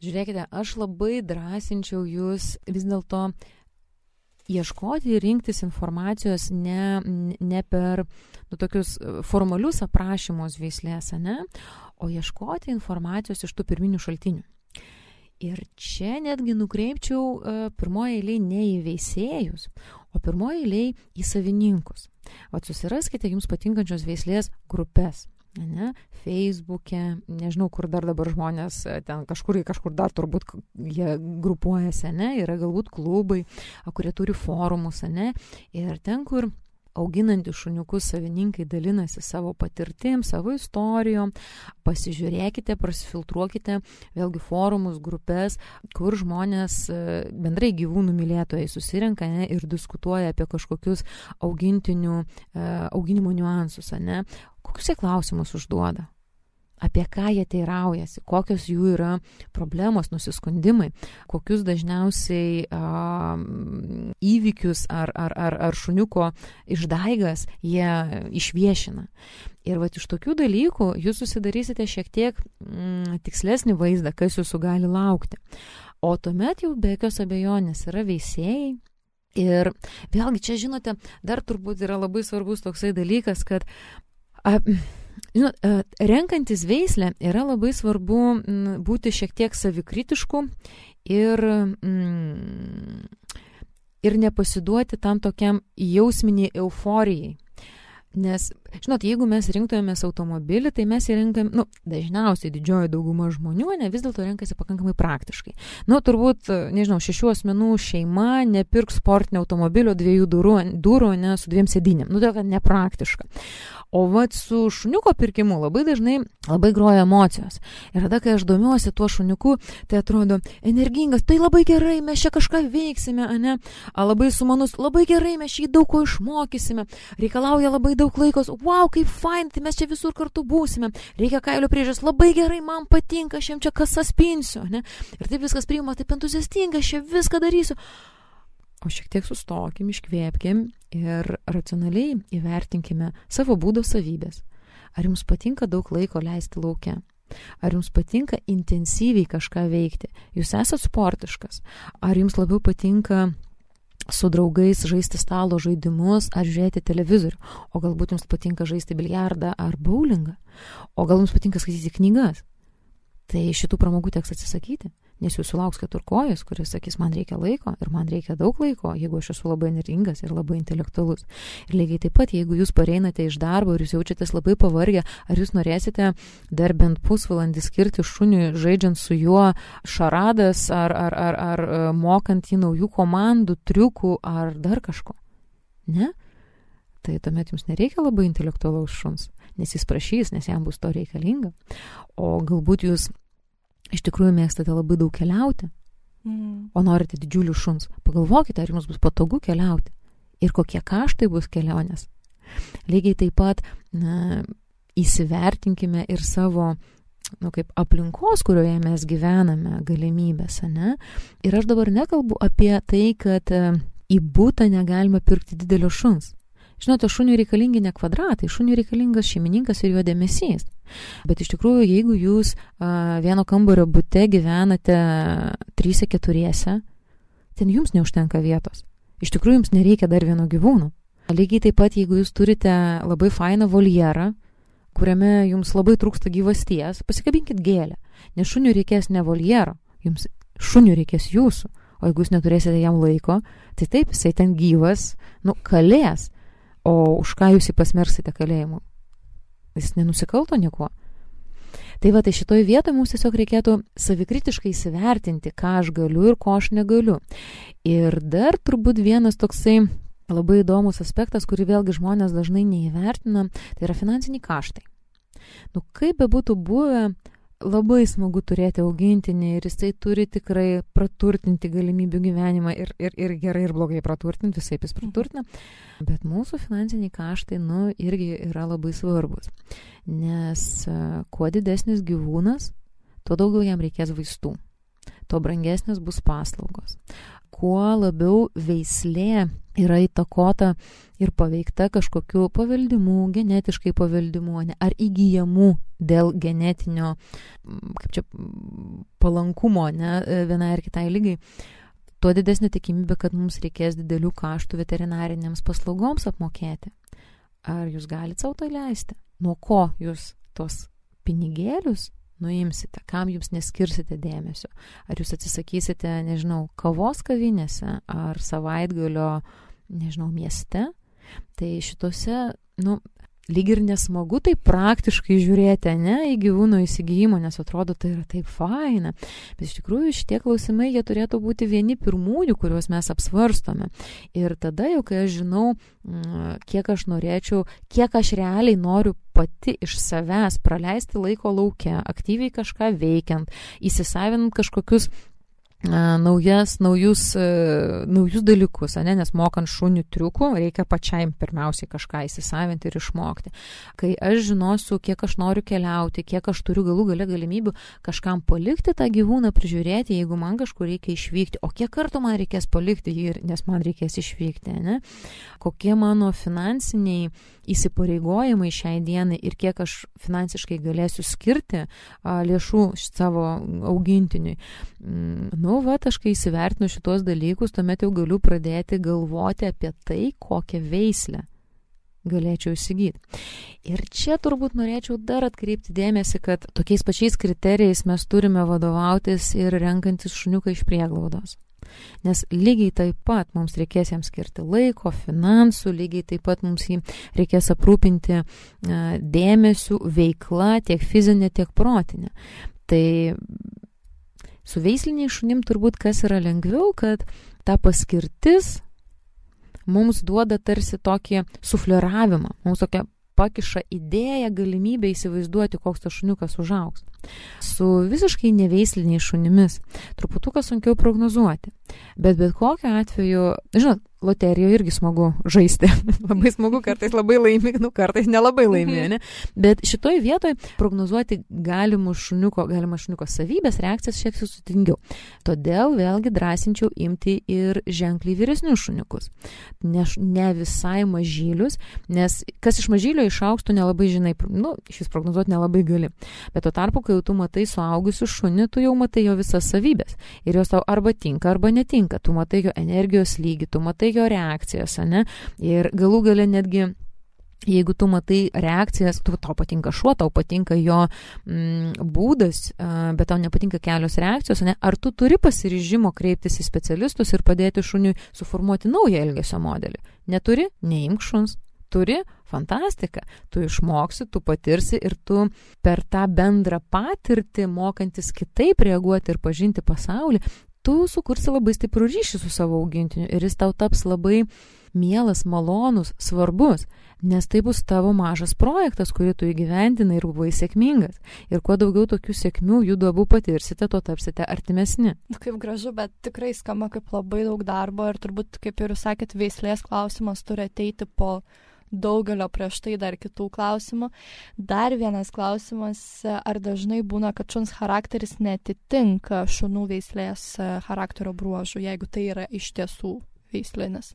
žiūrėkite, aš labai drąsinčiau jūs vis dėlto ieškoti ir rinktis informacijos ne, ne per nu, tokius formalius aprašymus veislės, ne, o ieškoti informacijos iš tų pirminių šaltinių. Ir čia netgi nukreipčiau uh, pirmoje eilėje ne į veisėjus, o pirmoje eilėje į savininkus. O susiraskite jums patinkančios veislės grupės. ne, Facebook'e, nežinau, kur dar dabar žmonės, ten kažkur, kažkur dar turbūt jie grupuojasi, ne, yra galbūt klubai, kurie turi forumus, ne, ir ten, kur auginantys šuniukus savininkai dalinasi savo patirtim, savo istorijom, pasižiūrėkite, prasifiltruokite vėlgi forumus, grupės, kur žmonės bendrai gyvūnų mylėtojai susirenka, ne, ir diskutuoja apie kažkokius augintinių, auginimo niuansus, ne, kokius jie klausimus užduoda, apie ką jie teiraujasi, kokios jų yra problemos, nusiskundimai, kokius dažniausiai a, įvykius ar, ar, ar, ar šuniuko išdaigas jie išviešina. Ir vat iš tokių dalykų jūs susidarysite šiek tiek mm, tikslesnį vaizdą, kas jūsų gali laukti. O tuomet jau be jokios abejonės yra veisėjai. Ir vėlgi čia, žinote, dar turbūt yra labai svarbus toksai dalykas, kad a, Žinot, renkantis veislę yra labai svarbu būti šiek tiek savikritišku ir, mm, ir nepasiduoti tam tokiam jausminiai euforijai. Nes, žinot, jeigu mes rinktumėmės automobilį, tai mes jį renkam, nu, dažniausiai didžioji dauguma žmonių, ne, vis dėlto renkasi pakankamai praktiškai. Nu, turbūt, nežinau, šešių asmenų šeima nepirks sportinio automobilio dviejų durų, durų, ne, su dviem sėdynėm. Nu, tai kad nepraktiška. O vat su šuniuko pirkimu labai dažnai labai groja emocijos. Ir tada, kai aš domiuosi tuo šuniuku, tai atrodo energingas, tai labai gerai, mes čia kažką veiksime, ane, a, labai sumanus, labai gerai, mes šį daug ko išmokysime, reikalauja labai daug laikos, wow, kaip fain, tai mes čia visur kartu būsime, reikia kailio priežiūros, labai gerai, man patinka, aš jam čia kasas pinsiu, ne, ir taip viskas priima, taip entuziastinga, aš čia viską darysiu. O šiek tiek sustokim, iškvėpkim ir racionaliai įvertinkime savo būdo savybės. Ar jums patinka daug laiko leisti lauke? Ar jums patinka intensyviai kažką veikti? Jūs esate sportiškas? Ar jums labiau patinka su draugais žaisti stalo žaidimus ar žiūrėti televizorių? O galbūt jums patinka žaisti biliardą ar bowlingą? O gal jums patinka skaityti knygas? Tai šitų pramogų teks atsisakyti. Nes jūsų lauks keturkojis, kuris sakys, man reikia laiko ir man reikia daug laiko, jeigu aš esu labai energingas ir labai intelektualus. Ir lygiai taip pat, jeigu jūs pareinate iš darbo ir jūs jaučiatės labai pavargę, ar jūs norėsite dar bent pusvalandį skirti šuniui, žaidžiant su juo šaradas ar, ar, ar, ar mokant į naujų komandų, triukų ar dar kažko? Ne? Tai tuomet jums nereikia labai intelektualaus šuns, nes jis prašys, nes jam bus to reikalinga. O galbūt jūs iš tikrųjų mėgstate labai daug keliauti, mm. o norite didžiulių šuns. Pagalvokite, ar jums bus patogu keliauti ir kokie kaštai bus kelionės. Lygiai taip pat na, įsivertinkime ir savo nu, kaip aplinkos, kurioje mes gyvename, galimybės, ne? Ir aš dabar nekalbu apie tai, kad į butą negalima pirkti didelio šuns. Žinote, šuniui reikalingi ne kvadratai, šuniui reikalingas šeimininkas ir jo dėmesys. Bet iš tikrųjų, jeigu jūs a, vieno kambario bute gyvenate tryse keturiese, ten jums neužtenka vietos. Iš tikrųjų, jums nereikia dar vieno gyvūno. Lygiai taip pat, jeigu jūs turite labai fainą voljerą, kuriame jums labai trūksta gyvasties, pasikabinkit gėlę. Nes šuniui reikės ne voljero, jums šuniui reikės jūsų. O jeigu jūs neturėsite jam laiko, tai taip, jisai ten gyvas, nu, kalės. O už ką jūs jį pasmersite kalėjimu? Jis nenusikalto niekuo. Tai va, tai šitoj vietoje mums tiesiog reikėtų savikritiškai įsivertinti, ką aš galiu ir ko aš negaliu. Ir dar turbūt vienas toksai labai įdomus aspektas, kurį vėlgi žmonės dažnai neįvertina, tai yra finansiniai kaštai. Nu, kaip be būtų buvę, labai smagu turėti augintinį ir jisai turi tikrai praturtinti galimybių gyvenimą ir, ir, ir gerai ir blogai praturtinti, visai jis praturtina. Bet mūsų finansiniai kaštai, nu, irgi yra labai svarbus. Nes kuo didesnis gyvūnas, tuo daugiau jam reikės vaistų. Tuo brangesnės bus paslaugos. Kuo labiau veislė yra įtakota ir paveikta kažkokiu paveldimu, genetiškai paveldimu, ne, ar įgyjamu dėl genetinio, kaip čia, palankumo, ne, vienai ar kitai lygai, tuo didesnė tikimybė, kad mums reikės didelių kaštų veterinarinėms paslaugoms apmokėti. Ar jūs galite savo tai leisti? Nuo ko jūs tos pinigėlius nuimsite, kam jums neskirsite dėmesio? Ar jūs atsisakysite, nežinau, kavos kavinėse ar savaitgalio, nežinau, mieste? Tai šitose, nu, lyg ir nesmagu taip praktiškai žiūrėti, ne, į gyvūno įsigijimo, nes atrodo, tai yra taip faina. Bet iš tikrųjų šitie klausimai, jie turėtų būti vieni pirmųjų, kuriuos mes apsvarstome. Ir tada jau, kai aš žinau, kiek aš norėčiau, kiek aš realiai noriu pati iš savęs praleisti laiko lauke, aktyviai kažką veikiant, įsisavinant kažkokius naujas, naujus, naujus dalykus, ne? Nes mokant šunių triukų reikia pačiai pirmiausiai kažką įsisavinti ir išmokti. Kai aš žinosiu, kiek aš noriu keliauti, kiek aš turiu galų gale galimybių kažkam palikti tą gyvūną, prižiūrėti, jeigu man kažkur reikia išvykti, o kiek kartų man reikės palikti jį, nes man reikės išvykti, ne? Kokie mano finansiniai įsipareigojimai šiai dienai ir kiek aš finansiškai galėsiu skirti a, lėšų savo augintiniui. Nu, va, aš kai įsivertinu šitos dalykus, tuomet jau galiu pradėti galvoti apie tai, kokią veislę galėčiau įsigyti. Ir čia turbūt norėčiau dar atkreipti dėmesį, kad tokiais pačiais kriterijais mes turime vadovautis ir renkantis šuniuką iš prieglaudos. Nes lygiai taip pat mums reikės jam skirti laiko, finansų, lygiai taip pat mums jį reikės aprūpinti dėmesiu, veikla, tiek fizinė, tiek protinė. Tai su veisliniai šunim turbūt kas yra lengviau, kad ta paskirtis mums duoda tarsi tokį sufleravimą, mums tokia pakiša idėją, galimybę įsivaizduoti, koks tas šuniukas užaugs. Su visiškai neveisliniais šunimis truputuką sunkiau prognozuoti. Bet bet kokiu atveju, žinot, loterijoje irgi smagu žaisti. Labai smagu, kartais labai laimi, nu kartais nelabai laimi, ne? Bet šitoj vietoj prognozuoti galimų šuniuko, galimą šuniuko savybės, reakcijas šiek tiek sudėtingiau. Todėl vėlgi drąsinčiau imti ir ženkliai vyresnius šuniukus. Ne, ne visai mažylius, nes kas iš mažylio išaugs, tu nelabai žinai, nu, šis prognozuoti nelabai gali. Bet tuo tarpu, kai tu matai suaugusių šunį, tu jau matai jo visas savybės. Ir jos tau arba tinka, arba netinka. Tu matai jo energijos lygį, tu matai jo reakcijas, ne? Ir galų gale netgi, jeigu tu matai reakcijas, tu, tau patinka šuo, tau patinka jo mm, būdas, bet tau nepatinka kelios reakcijos, ne? Ar tu turi pasiryžimo kreiptis į specialistus ir padėti šuniui suformuoti naują elgesio modelį? Neturi? Neimk šuns. Turi? Fantastika. Tu išmoksi, tu patirsi ir tu per tą bendrą patirtį, mokantis kitaip reaguoti ir pažinti pasaulį, tu sukursi labai stiprų ryšį su savo augintiniu ir jis tau taps labai mielas, malonus, svarbus, nes tai bus tavo mažas projektas, kurį tu įgyvendinai ir buvai sėkmingas. Ir kuo daugiau tokių sėkmių jūsų abu patirsite, tuo tapsite artimesni. Kaip gražu, bet tikrai skamba kaip labai daug darbo ir turbūt, kaip ir jūs sakėt, veislės klausimas turi ateiti po daugelio prieš tai dar kitų klausimų. Dar vienas klausimas, ar dažnai būna, kad šuns charakteris netitinka šunų veislės charakterio bruožų, jeigu tai yra iš tiesų veislinis?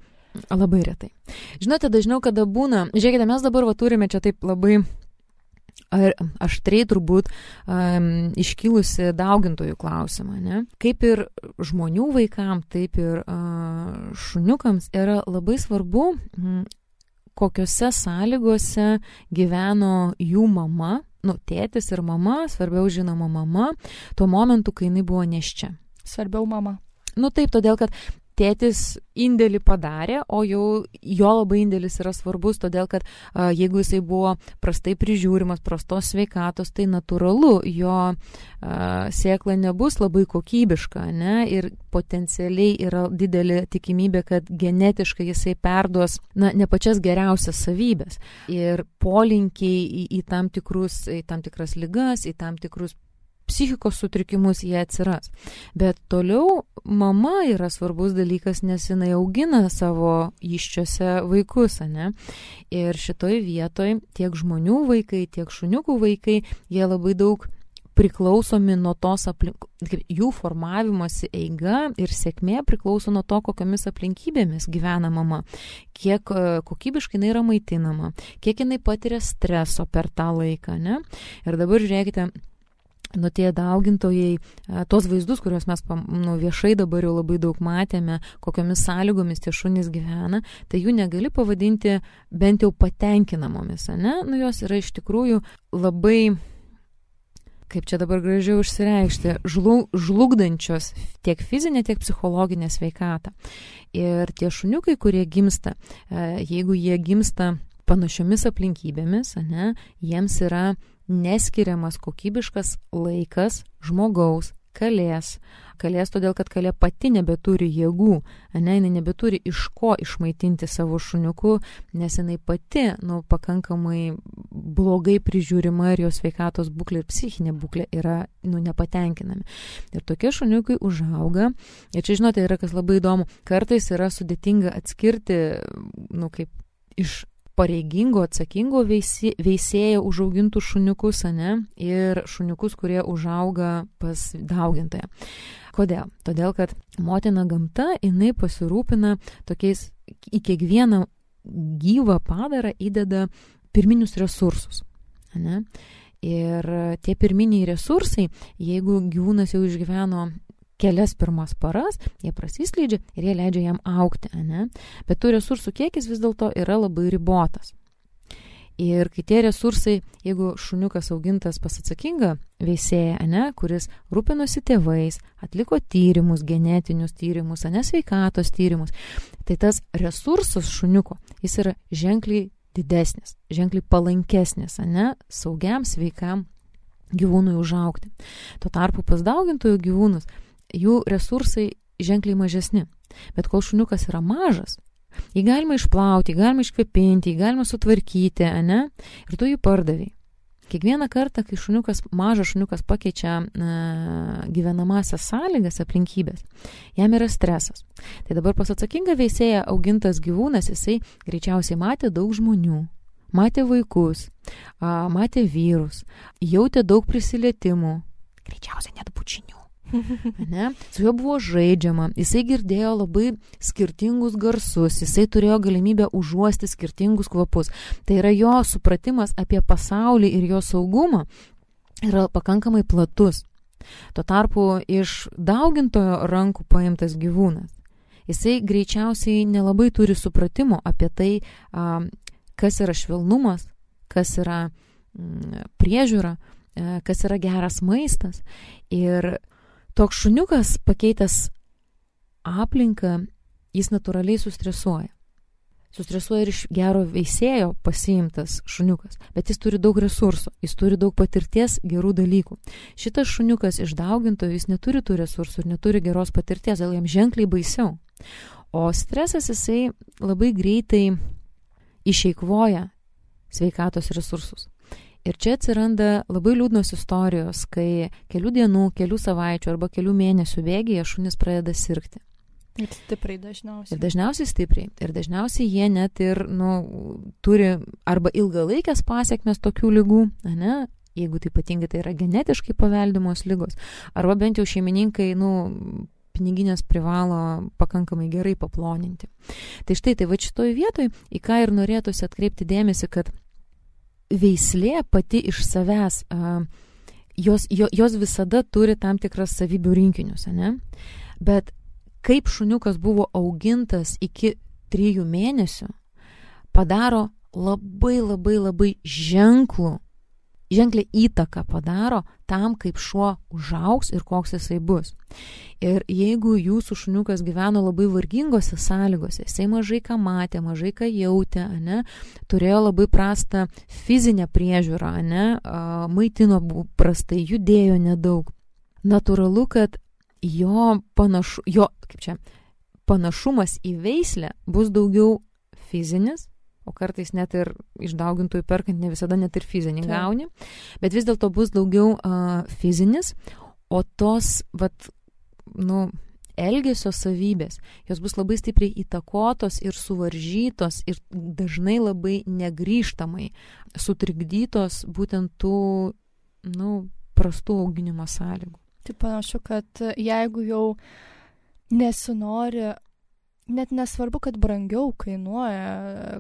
Labai retai. Žinote, dažniau kada būna, žiūrėkite, mes dabar va turime čia taip labai ar aštriai turbūt um, iškilusi daugintojų klausimą, ne? Kaip ir žmonių vaikam, taip ir uh, šuniukams yra labai svarbu, mm, kokiose sąlygose gyveno jų mama, nu, tėtis ir mama, svarbiau žinoma mama, tuo momentu, kai jinai buvo nėščia. Svarbiau mama. Nu taip, todėl kad tėtis indėlį padarė, o jau jo labai indėlis yra svarbus, todėl kad a, jeigu jisai buvo prastai prižiūrimas, prastos sveikatos, tai natūralu, jo a, sėkla nebus labai kokybiška, ne? Ir potencialiai yra didelė tikimybė, kad genetiškai jisai perduos, na, ne pačias geriausias savybės. Ir polinkiai į, į, tam tikrus, į tam tikras ligas, į tam tikrus psichikos sutrikimus jie atsiras. Bet toliau mama yra svarbus dalykas, nes jinai augina savo įščiuose vaikus, ne? Ir šitoj vietoj tiek žmonių vaikai, tiek šuniukų vaikai, jie labai daug priklausomi nuo tos aplink... jų formavimosi eiga ir sėkmė priklauso nuo to, kokiamis aplinkybėmis gyvena mama, kiek kokybiškai jinai yra maitinama, kiek jinai patiria streso per tą laiką, ne? Ir dabar žiūrėkite, nu tie daugintojai, tos vaizdus, kuriuos mes nu, viešai dabar jau labai daug matėme, kokiomis sąlygomis tie šunys gyvena, tai jų negali pavadinti bent jau patenkinamomis, ne? Nu jos yra iš tikrųjų labai, kaip čia dabar gražiau išsireikšti, žlug, žlugdančios tiek fizinę, tiek psichologinę sveikatą. Ir tie šuniukai, kurie gimsta, jeigu jie gimsta panašiomis aplinkybėmis, ane, jiems yra neskiriamas kokybiškas laikas žmogaus, kalės. Kalės todėl, kad kalė pati nebeturi jėgų, ane, jinai nebeturi iš ko išmaitinti savo šuniukų, nes jinai pati, nu, pakankamai blogai prižiūrima ir jos sveikatos būklė ir psichinė būklė yra, nu, nepatenkinami. Ir tokie šuniukai užauga. Ir čia, žinote, yra kas labai įdomu. Kartais yra sudėtinga atskirti, nu, kaip iš pareigingo, atsakingo veisi, veisėjo užaugintų šuniukus, ane, ir šuniukus, kurie užauga pas daugintoją. Kodėl? Todėl, kad motina gamta, jinai pasirūpina tokiais, į kiekvieną gyvą padarą įdeda pirminius resursus, ane? Ir tie pirminiai resursai, jeigu gyvūnas jau išgyveno kelias pirmas paras, jie prasiskleidžia ir jie leidžia jam augti, ane? Bet tų resursų kiekis vis dėlto yra labai ribotas. Ir kai tie resursai, jeigu šuniukas augintas pas atsakingą veisėją, ane, kuris rūpinosi tėvais, atliko tyrimus, genetinius tyrimus, ane, sveikatos tyrimus, tai tas resursas šuniuko, jis yra ženkliai didesnis, ženkliai palankesnis, ane, saugiam, sveikam gyvūnui užaugti. Tuo tarpu pas daugintojų gyvūnus, jų resursai ženkliai mažesni. Bet kol šuniukas yra mažas, jį galima išplauti, jį galima iškvepinti, jį galima sutvarkyti, ane? Ir tu jį pardaviai. Kiekvieną kartą, kai šuniukas, mažas šuniukas pakeičia e, gyvenamasias sąlygas, aplinkybės, jam yra stresas. Tai dabar pas atsakingą veisėją augintas gyvūnas, jisai greičiausiai matė daug žmonių, matė vaikus, a, matė vyrus, jautė daug prisilietimų, greičiausiai net bučinių. Ne? Su juo buvo žaidžiama, jisai girdėjo labai skirtingus garsus, jisai turėjo galimybę užuosti skirtingus kvapus. Tai yra jo supratimas apie pasaulį ir jo saugumą yra pakankamai platus. Tuo tarpu iš daugintojo rankų paimtas gyvūnas, jisai greičiausiai nelabai turi supratimo apie tai, kas yra švelnumas, kas yra priežiūra, kas yra geras maistas. Ir toks šuniukas pakeitęs aplinką, jis natūraliai sustresuoja. Sustresuoja ir iš gero veisėjo pasiimtas šuniukas, bet jis turi daug resursų, jis turi daug patirties, gerų dalykų. Šitas šuniukas iš daugintojų, jis neturi tų resursų ir neturi geros patirties, dėl jam ženkliai baisiau. O stresas jisai labai greitai išeikvoja sveikatos resursus. Ir čia atsiranda labai liūdnos istorijos, kai kelių dienų, kelių savaičių arba kelių mėnesių bėgyje šunis pradeda sirgti. Ir stipriai dažniausiai. Ir dažniausiai stipriai. Ir dažniausiai jie net ir, nu, turi arba ilgalaikės pasiekmes tokių ligų, ne? Jeigu tai ypatingai tai yra genetiškai paveldimos ligos, arba bent jau šeimininkai, nu, piniginės privalo pakankamai gerai paploninti. Tai štai, tai va šitoj vietoj, į ką ir norėtųsi atkreipti dėmesį, kad veislė pati iš savęs, a, jos, jo, jos visada turi tam tikras savybių rinkinius, ne? Bet kaip šuniukas buvo augintas iki trijų mėnesių, padaro labai labai labai ženklų, ženkliai įtaką padaro tam, kaip šuo užaugs ir koks jisai bus. Ir jeigu jūsų šuniukas gyveno labai vargingose sąlygose, jisai mažai ką matė, mažai ką jautė, ane, turėjo labai prastą fizinę priežiūrą, ane, maitino prastai, judėjo nedaug. Natūralu, kad jo, panašu, jo kaip čia, panašumas į veislę bus daugiau fizinis, o kartais net ir iš daugintojų perkant ne visada net ir fizinį gauni, bet vis dėlto bus daugiau uh, fizinis, o tos, vat, nu, elgesio savybės, jos bus labai stipriai įtakotos ir suvaržytos ir dažnai labai negrįžtamai sutrikdytos būtent tų, nu, prastų auginimo sąlygų. Tai panašu, kad jeigu jau nesinori, net nesvarbu, kad brangiau kainuoja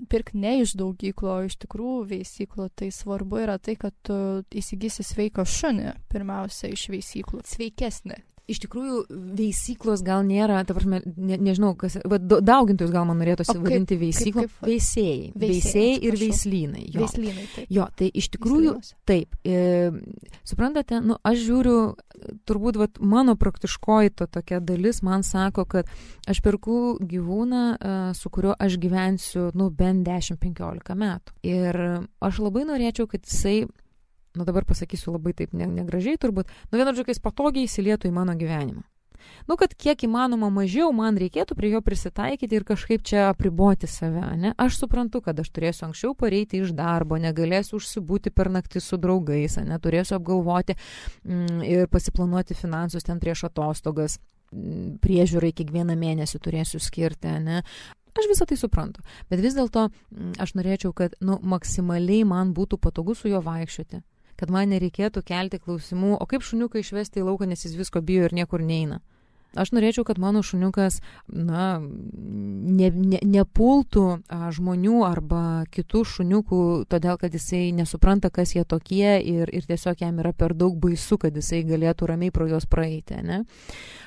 pirkti ne iš daugyklo, o iš tikrųjų veisyklo, tai svarbu yra tai, kad tu įsigysi sveiką šunį, pirmiausia, iš veisyklų. Sveikesnį. Iš tikrųjų, veisyklos gal nėra, ta prasme, ne, nežinau, kas, va, daugintojus gal man norėtųsi vadinti veisyklą. Kaip, kaip, veisėjai. Veisėjai ir veislynai. Jo. Veislynai, taip. Jo, tai iš tikrųjų, taip. E, suprantate, nu, aš žiūriu, turbūt, va, mano praktiškoji to tokia dalis man sako, kad aš perku gyvūną, su kuriuo aš gyvensiu, nu, bent dešimt penkiolika metų. Ir aš labai norėčiau, kad jisai, nu dabar pasakysiu labai taip negražiai turbūt, nu vienu žodžiu, kai jis patogiai įsilietų į mano gyvenimą. Nu, kad kiek įmanoma mažiau man reikėtų prie jo prisitaikyti ir kažkaip čia apriboti save, ne? Aš suprantu, kad aš turėsiu anksčiau pareiti iš darbo, negalėsiu užsibūti per naktį su draugais, ne? Turėsiu apgalvoti mm, ir pasiplanuoti finansus ten prieš atostogas, mm, priežiūrai kiekvieną mėnesį turėsiu skirti, ne? Aš visą tai suprantu, bet vis dėlto aš norėčiau, kad nu, maksimaliai man būtų patogu su juo vaikščioti, kad man nereikėtų kelti klausimų, o kaip šuniuką išvesti į lauką, nes jis visko bijo ir niekur neina. Aš norėčiau, kad mano šuniukas na, ne, ne, nepultų a, žmonių arba kitų šuniukų, todėl kad jisai nesupranta, kas jie tokie ir, ir tiesiog jam yra per daug baisu, kad jisai galėtų ramiai pro juos praeiti. Ne?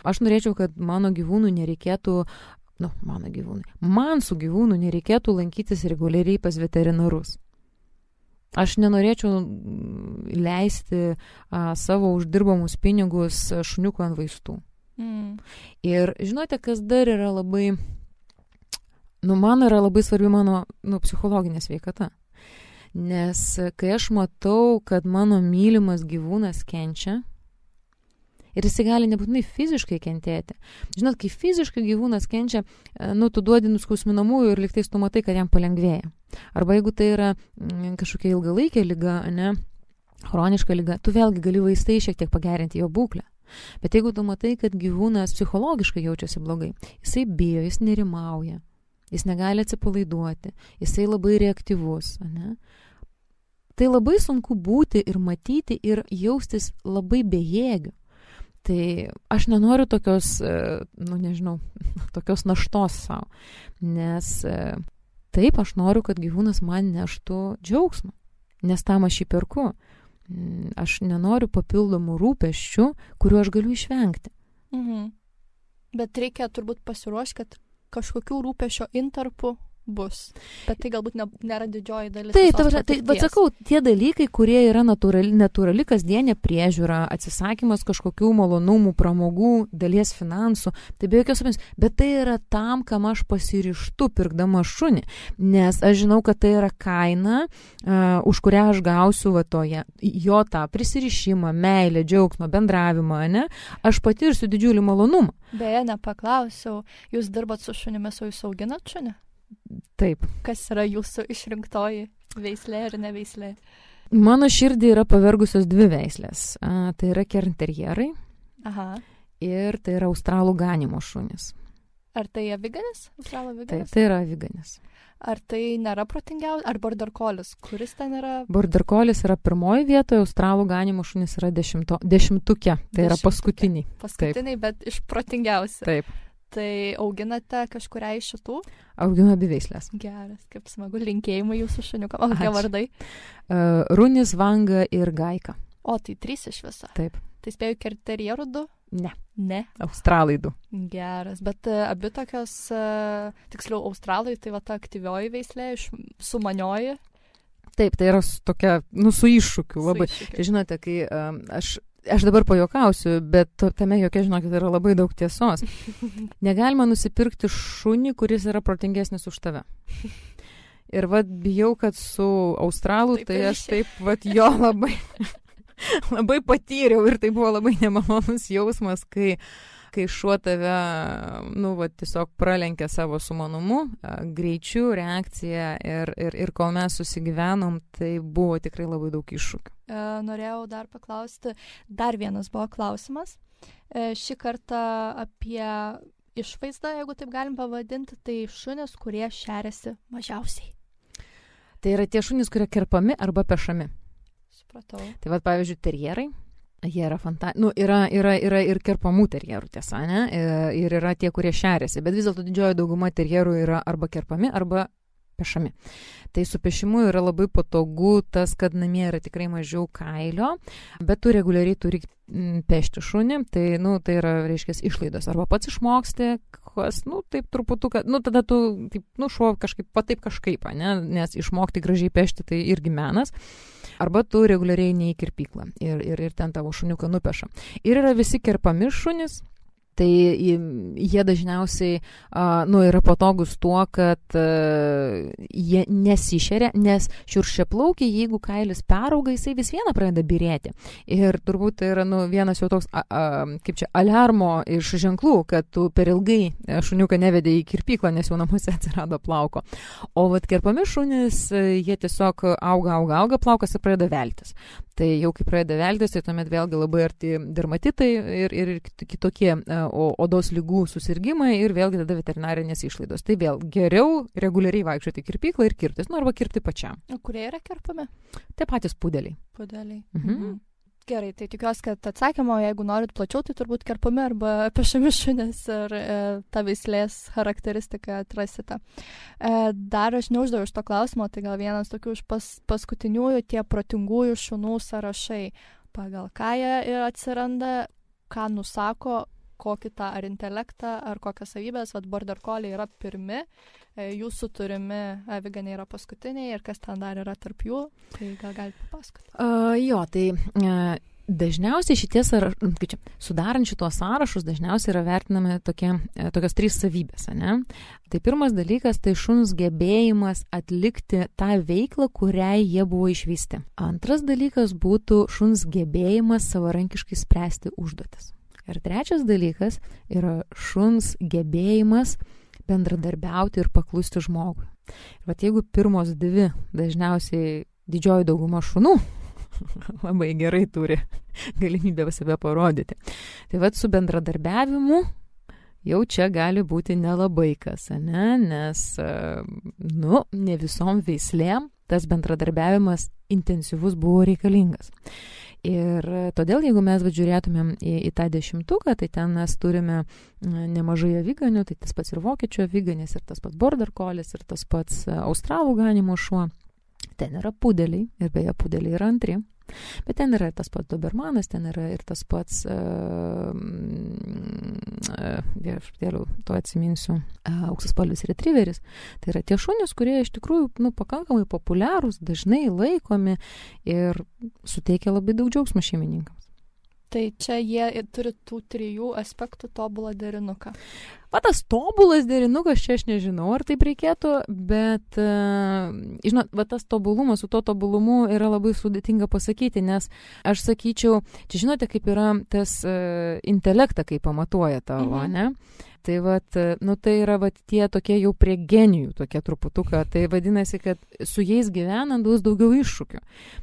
Aš norėčiau, kad mano gyvūnų nereikėtų Nu, mano gyvūnai. Man su gyvūnu nereikėtų lankytis reguliariai pas veterinarus. Aš nenorėčiau leisti a, savo uždirbamus pinigus šuniuko ant vaistų. Mm. Ir žinote, kas dar yra labai, nu, man yra labai svarbi mano nu, psichologinė sveikata. Nes kai aš matau, kad mano mylimas gyvūnas kenčia, ir jis gali nebūtinai fiziškai kentėti. Žinot, kai fiziškai gyvūnas kenčia, nu, tu duodi nuskausminamųjų ir liktais tu matai, kad jam palengvėja. Arba jeigu tai yra mm, kažkokia ilgalaikė liga, ne, chroniška liga, tu vėlgi gali vaistai šiek tiek pagerinti jo būklę. Bet jeigu tu matai, kad gyvūnas psichologiškai jaučiasi blogai, jisai bijo, jis nerimauja, jis negali atsipalaiduoti, jisai labai reaktyvus, ne, tai labai sunku būti ir matyti ir jaustis labai bejėgiu. Tai aš nenoriu tokios, nu nežinau, tokios naštos savo, nes taip aš noriu, kad gyvūnas man neštų džiaugsmą, nes tam aš jį perku. Aš nenoriu papildomų rūpesčių, kuriuo aš galiu išvengti. Mhm. Bet reikia turbūt pasiruošti, kad kažkokių rūpesčio intarpų bus. Bet tai galbūt ne, nėra didžioji dalis. Taip, tai, tai, bet sakau, tie dalykai, kurie yra natūrali, natūrali kasdienė priežiūra, atsisakymas kažkokių malonumų, pramogų, dalies finansų, tai be jokios abejonės, bet tai yra tam, kam aš pasirištu pirkdama šunį, nes aš žinau, kad tai yra kaina, uh, už kurią aš gausiu va toje, jo tą prisirišimą, meilę, džiaugsmą, bendravimą, ne? Aš patirsiu didžiulį malonumą. Beje, nepaklausiau, jūs dirbat su šunimis, o jūs auginat šunį? Taip. Kas yra jūsų išrinktoji veislė ar neveislė? Mano širdį yra pavergusios dvi veislės. A, tai yra kernterjerai. Aha. Ir tai yra australų ganimo šunys. Ar tai aviganis? Australų aviganis? Taip, tai yra aviganis. Ar tai nėra protingiausias? Ar border collis? Kuris ten yra? Border collis yra pirmoji vietoje, australų ganimo šunys yra dešimto, dešimtuke. Tai Dešimtuke. Yra paskutiniai. Paskutiniai, Taip. Bet iš protingiausių. Taip. Tai auginate kažkurią iš šitų? Auginu abi veislės. Geras, kaip smagu, linkėjimai jūsų šuniukam. O kokie vardai? Uh, Runis, Vanga ir Gaika. O, tai trys iš viso. Taip. Tai spėjau kerterjerų du? Ne. Ne? Australai du. Geras, bet uh, abi tokios, uh, tiksliau, australai, tai va ta aktyvioji veislė, iš, sumanioji. Taip, tai yra tokia, nu, su iššūkiu labai. Su iššūkiu. Žinote, kai um, aš... Aš dabar pajuokausiu, bet tame jokia, žinokit, yra labai daug tiesos. Negalima nusipirkti šunį, kuris yra protingesnis už tave. Ir vat bijau, kad su australu, taip, tai aš taip vat jo labai, labai patyriau ir tai buvo labai nemalonus jausmas, kai, kai šuo tave, nu, vat tiesiog pralenkė savo sumanumu, greičiu, reakciją ir, ir, ir kol mes susigyvenom, tai buvo tikrai labai daug iššūkių. Norėjau dar paklausti, dar vienas buvo klausimas. Šį kartą apie išvaizdą, jeigu taip galim pavadinti, tai šunys, kurie šeriasi mažiausiai. Tai yra tie šunys, kurie kerpami arba pešami. Supratau. Tai vad, pavyzdžiui, terjerai, jie yra fanta... Nu, yra, yra, yra ir kerpamų terjerų, tiesa, ne? Ir yra tie, kurie šeriasi, bet vis dėlto didžioji dauguma terjerų yra arba kerpami, arba pešami. Tai su pešimu yra labai patogu tas, kad namie yra tikrai mažiau kailio, bet tu reguliariai turi pešti šunį, tai, nu, tai yra, reiškia, išlaidos. Arba pats išmoksti, kas, nu, taip truputuką, nu, tada tu, taip, nu, šuo kažkaip, pa taip kažkaip, ne, nes išmokti gražiai pešti tai irgi menas. Arba tu reguliariai ne į kirpyklą ir, ir, ir ten tavo šuniuką nupeša. Ir yra visi kerpami šunys. Tai jie dažniausiai uh, nu, yra patogus tuo, kad uh, jie nesišeria, nes šiurkščiaplaukiai, jeigu kailis perauga, jisai vis viena pradeda birėti. Ir turbūt tai yra nu, vienas jau toks, a, a, kaip čia, aliarmo iš ženklų, kad tu per ilgai šuniuką nevedė į kirpyklą, nes jau namuose atsirado plauko. O vat kerpami šunys, jie tiesiog auga, auga, auga, plaukas ir pradeda veltis. Tai jau kai pradeda veltis, tai tuomet vėlgi labai arti dermatitai ir, ir kitokie o, odos lygų susirgymai ir vėlgi tada veterinarinės išlaidos. Tai vėl geriau reguliariai vaikščioti į kirpyklą ir kirptis, nu arba kirpti pačiam. O kurie yra kerpami? Tai patys pudeliai. Pudeliai. Mhm. Mhm. Gerai, tai tikiuosi, kad atsakymo, jeigu norit plačiau, tai turbūt kerpami arba pešami šunys ir e, tą veislės charakteristiką atrasite. E, dar aš neuždaviau šito klausimo, tai gal vienas tokių iš pas, paskutiniųjų tie protingųjų šunų sąrašai. Pagal ką jie atsiranda, ką nusako, kokį tą ar intelektą, ar kokias savybės, vad border collie yra pirmi, e, jūsų turimi aviganiai yra paskutiniai ir kas ten dar yra tarp jų, tai gal galite papasakoti. Uh, jo, tai uh, dažniausiai šitie sąrašai, kaip čia, sudarant šitos sąrašus, dažniausiai yra vertinami tokie, tokios trys savybės, ne? Tai pirmas dalykas, tai šuns gebėjimas atlikti tą veiklą, kuriai jie buvo išvysti. Antras dalykas būtų šuns gebėjimas savarankiškai spręsti užduotis. Ir trečias dalykas yra šuns gebėjimas bendradarbiauti ir paklusti žmogui. Ir vat jeigu pirmos dvi dažniausiai didžioji dauguma šunų labai gerai turi galimybę save parodyti. Tai vat su bendradarbiavimu jau čia gali būti nelabai kas, ne? Nes, nu, ne visom veislėm tas bendradarbiavimas intensyvus buvo reikalingas. Ir todėl, jeigu mes žiūrėtumėm į, į tą dešimtuką, tai ten mes turime nemažai aviganių, tai tas pats ir vokiečių aviganis, ir tas pats border collis, ir tas pats australų ganimo šuo. Ten yra pudeliai, ir beje pudeliai yra antri. Bet ten yra ir tas pats dobermanas, ten yra ir tas pats, uh, uh, to atsiminsiu, uh, auksaspalvis retrieveris. Tai yra tie šunys, kurie iš tikrųjų nu, pakankamai populiarūs, dažnai laikomi ir suteikia labai daug džiaugsmo šeimininkams. Tai čia jie turi tų trijų aspektų tobulą derinuką. Va tas tobulas derinukas, čia aš nežinau, ar taip reikėtų, bet, uh, žinot, va tas tobulumas, su to tobulumu yra labai sudėtinga pasakyti, nes aš sakyčiau, čia žinote, kaip yra tas uh, intelektą, kaip pamatuoja tavo, mhm. ne? Tai vat, nu tai yra vat tie tokie jau prie genijų, tokie truputuką, tai vadinasi, kad su jais gyvenant bus daugiau iššūkių,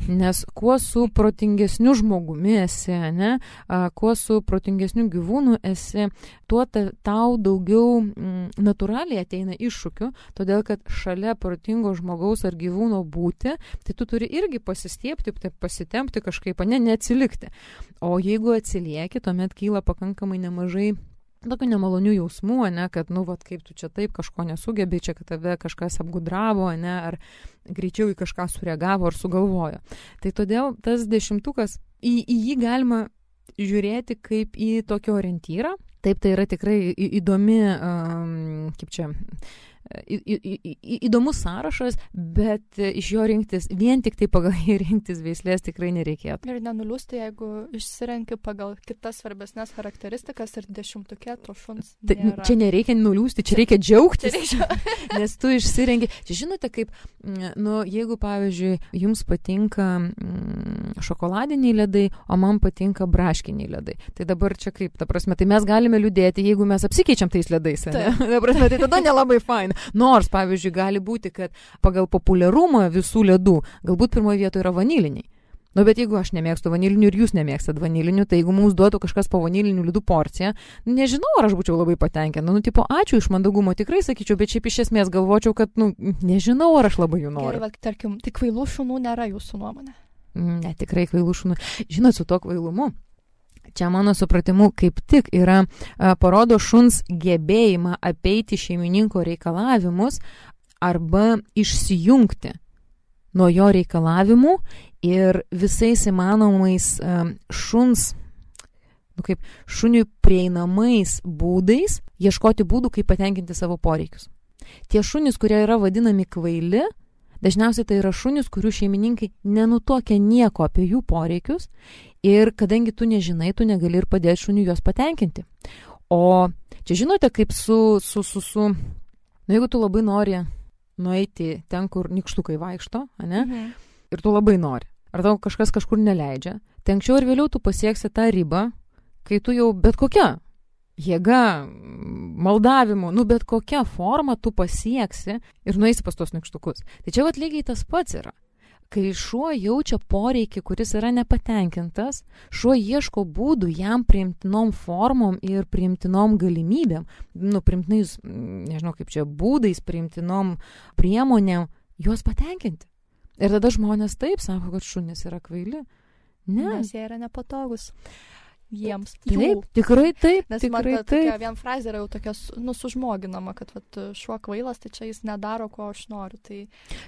nes kuo su protingesniu žmogumi esi, ne, a, kuo su protingesniu gyvūnu esi, tuo ta, tau daugiau m, natūraliai ateina iššūkių, todėl kad šalia protingo žmogaus ar gyvūno būti, tai tu turi irgi pasistiepti, pasitempti kažkaip, ne, neatsilikti. O jeigu atsilieki, tuomet kyla pakankamai nemažai tokių nemalonių jausmų, ne, kad, nu, vat, kaip tu čia taip kažko nesugebi, čia, kad tave kažkas apgudravo, ne, ar greičiau į kažką sureagavo ar sugalvojo. Tai todėl tas dešimtukas, į, į jį galima žiūrėti kaip į tokį orientyrą. Taip, tai yra tikrai įdomi, um, kaip čia, į, į, į, įdomus sąrašas, bet iš jo rinktis, vien tik tai pagal jį rinktis veislės tikrai nereikėtų. Ir nenuliūsti, jeigu išsirenki pagal kitas svarbesnės charakteristikas ir dešimtukė to šuns nėra. Ta, čia nereikia nuliūsti, čia reikia džiaugtis, čia reikia. Nes tu išsirenki. Čia žinote, kaip, nu, jeigu, pavyzdžiui, jums patinka mm, šokoladiniai ledai, o man patinka braškiniai ledai. Tai dabar čia kaip, ta prasme, tai mes galime liūdėti, jeigu mes apsikeičiam tais ledais, ne? Ta prasme, tai tada nelabai faina. Nors, pavyzdžiui, gali būti, kad pagal populiarumą visų ledų galbūt pirmoje vietoje yra vaniliniai. Nu, bet jeigu aš nemėgstu vanilinių ir jūs nemėgstat vanilinių, tai jeigu mums duotų kažkas po vanilinių ledų porciją, nežinau, ar aš būčiau labai patenkinta. Nu, tipo, ačiū iš mandagumo, tikrai sakyčiau, bet šiaip iš esmės galvočiau, kad, nu, nežinau, ar aš labai jų noriu. Gerai, tarkim, tik kvailų šunų nėra jūsų nuomonė. Ne, tikrai kvailų šunų. Žinot, su to kvailumu. Čia mano supratimu kaip tik yra a, parodo šuns gebėjimą apeiti šeimininko reikalavimus, arba išsijungti nuo jo reikalavimų ir visais įmanomais um, šuns, nu kaip šuniui prieinamais būdais ieškoti būdų, kaip patenkinti savo poreikius. Tie šunys, kurie yra vadinami kvaili, dažniausiai tai yra šunys, kurių šeimininkai nenutuokia nieko apie jų poreikius ir kadangi tu nežinai, tu negali ir padėti šuniui juos patenkinti. O čia žinote, kaip su, su, su, su, nu jeigu tu labai nori nueiti ten, kur nykštukai vaikšto, ane, mhm. ir tu labai nori, ar tau kažkas kažkur neleidžia, tai anksčiau ir vėliau tu pasieksi tą ribą, kai tu jau bet kokia jėga, maldavimu, nu bet kokia forma tu pasieksi ir nueisi pas tos nykštukus. Tai čia vat lygiai tas pats yra. Kai šuo jaučia poreikį, kuris yra nepatenkintas, šuo ieško būdų jam priimtinom formom ir priimtinom galimybėm, nu priimtinais, nežinau kaip čia, būdais, priimtinom priemonėm, juos patenkinti. Ir tada žmonės taip sako, kad šunys yra kvaili. Ne. Nes jie yra nepatogus. Jiems. Taip, tikrai taip. Nes tikrai man ta, taip. tokia vien frazė yra jau tokia nu, sužmoginama, kad vat, šuo kvailas, tai čia jis nedaro, ko aš noriu. Tai,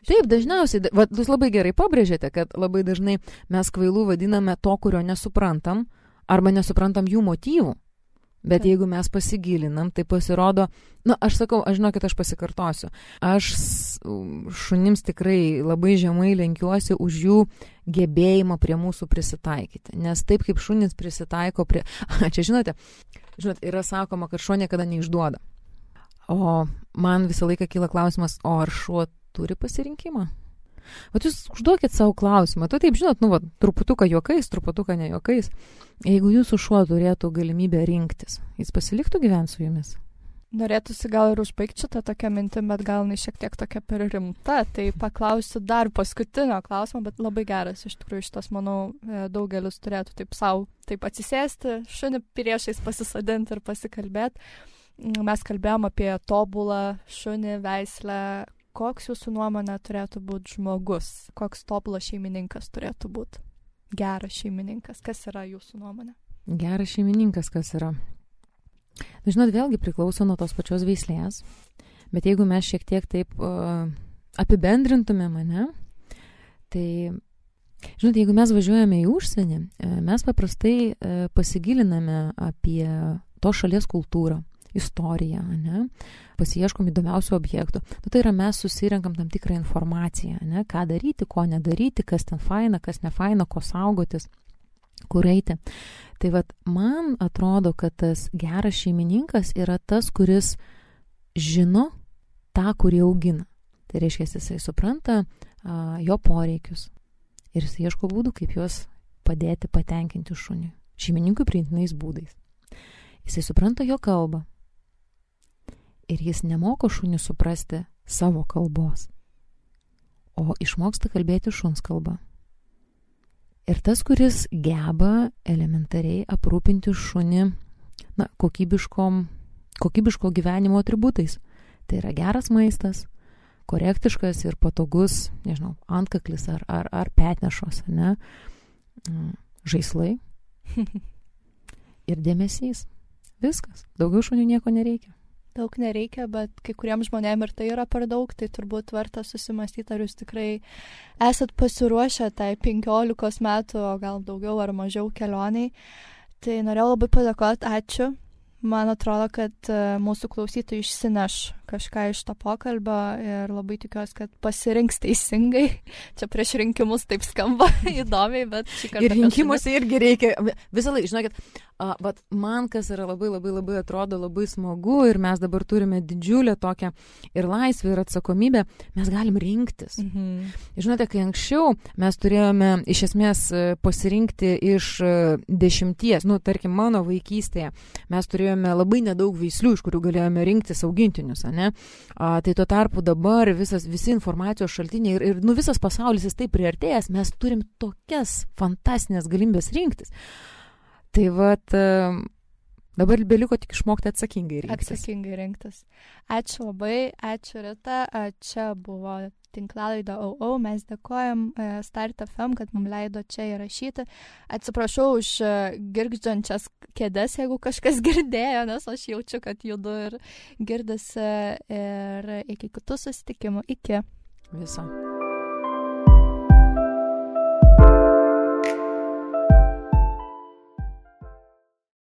taip, dažniausiai, va, jūs labai gerai pabrėžėte, kad labai dažnai mes kvailų vadiname to, kurio nesuprantam, arba nesuprantam jų motyvų. Bet jeigu mes pasigilinam, tai pasirodo, nu, aš sakau, aš žinau, kad aš pasikartosiu. Aš šunims tikrai labai žemai lenkiuosi už jų gebėjimą prie mūsų prisitaikyti. Nes taip kaip šunis prisitaiko prie... Čia žinote, žinote, yra sakoma, kad šuo niekada neišduoda. O man visą laiką kyla klausimas, o ar šuo turi pasirinkimą? Vat jūs užduokit savo klausimą. Tu taip žinot, nu, va, truputuką juokais, truputuką ne juokais. Jeigu jūsų šuo turėtų galimybę rinktis, jis pasiliktų gyventi su jumis? Norėtųsi gal ir užbaigti šitą tokią mintį, bet gal ne šiek tiek tokia per rimta. Tai paklausiu dar paskutinio klausimo, bet labai geras. Iš tikrųjų, šitas, manau, daugelis turėtų taip savo taip atsisėsti, šunį priešais pasisadinti ir pasikalbėti. Mes kalbėjom apie tobulą šunį, veislę. Koks jūsų nuomonė turėtų būti žmogus? Koks tobulas šeimininkas turėtų būti? Geras šeimininkas. Kas yra jūsų nuomonė? Geras šeimininkas kas yra? Žinot, vėlgi priklauso nuo tos pačios veislės. Bet jeigu mes šiek tiek taip uh, apibendrintume mane, tai, žinot, jeigu mes važiuojame į užsienį, mes paprastai uh, pasigiliname apie tos šalies kultūrą, istoriją, ne? Pasiieškom įdomiausių objektų. Nu, tai yra mes susirenkam tam tikrą informaciją, ne? Ką daryti, ko nedaryti, kas ten faina, kas nefaina, ko saugotis, kur eiti. Tai vat man atrodo, kad tas geras šeimininkas yra tas, kuris žino tą, kurį augina. Tai reiškia, jisai supranta a, jo poreikius ir jis ieško būdų, kaip juos padėti patenkinti šuniui. Šeimininkui priimtinais būdais. Jisai supranta jo kalbą. Ir jis nemoko šunį suprasti savo kalbos, o išmoksta kalbėti šuns kalbą. Ir tas, kuris geba elementariai aprūpinti šunį na, kokybiškom, kokybiško gyvenimo atributais. Tai yra geras maistas, korektiškas ir patogus, nežinau, antkaklis ar, ar, ar petnešos, ne? Žaislai ir dėmesys. Viskas. Daugiau šunių nieko nereikia. Daug nereikia, bet kai kuriems žmonėms ir tai yra per daug, tai turbūt verta susimastyti, ar jūs tikrai esat pasiruošę tai penkiolikos metų, o gal daugiau ar mažiau kelioniai. Tai norėjau labai padėkoti, ačiū. Man atrodo, kad mūsų klausytojai išsineš kažką iš to pokalbio ir labai tikiuosi, kad pasirinks teisingai. Čia prieš rinkimus taip skamba įdomiai, bet šį kartą... Ir rinkimuose irgi reikia... Visą laiką, žinokit, uh, bet man kas yra labai, labai, labai atrodo labai smagu ir mes dabar turime didžiulę tokią ir laisvę ir atsakomybę, mes galim rinktis. Mhm. Žinote, kai anksčiau mes turėjome iš esmės pasirinkti iš dešimties, nu, tarkim, mano vaikystėje, mes turėjome labai nedaug veislių, iš kurių galėjome rinktis augintinius, ne? A, tai tuo tarpu dabar visas, visi informacijos šaltiniai ir, ir nu, visas pasaulis jis taip priartėjęs, mes turim tokias fantastinės galimybės rinktis. Tai vat, Dabar beliko tik išmokti atsakingai rinktis. Atsakingai rinktis. Ačiū labai, ačiū Rita, čia buvo tinklalaidė O O, mes dėkojam Start F M, kad mums leido čia įrašyti. Atsiprašau už girgždžiančias kėdes, jeigu kažkas girdėjo, nes aš jaučiu, kad judu ir girdisi, ir iki kitų susitikimų. Iki. Viso.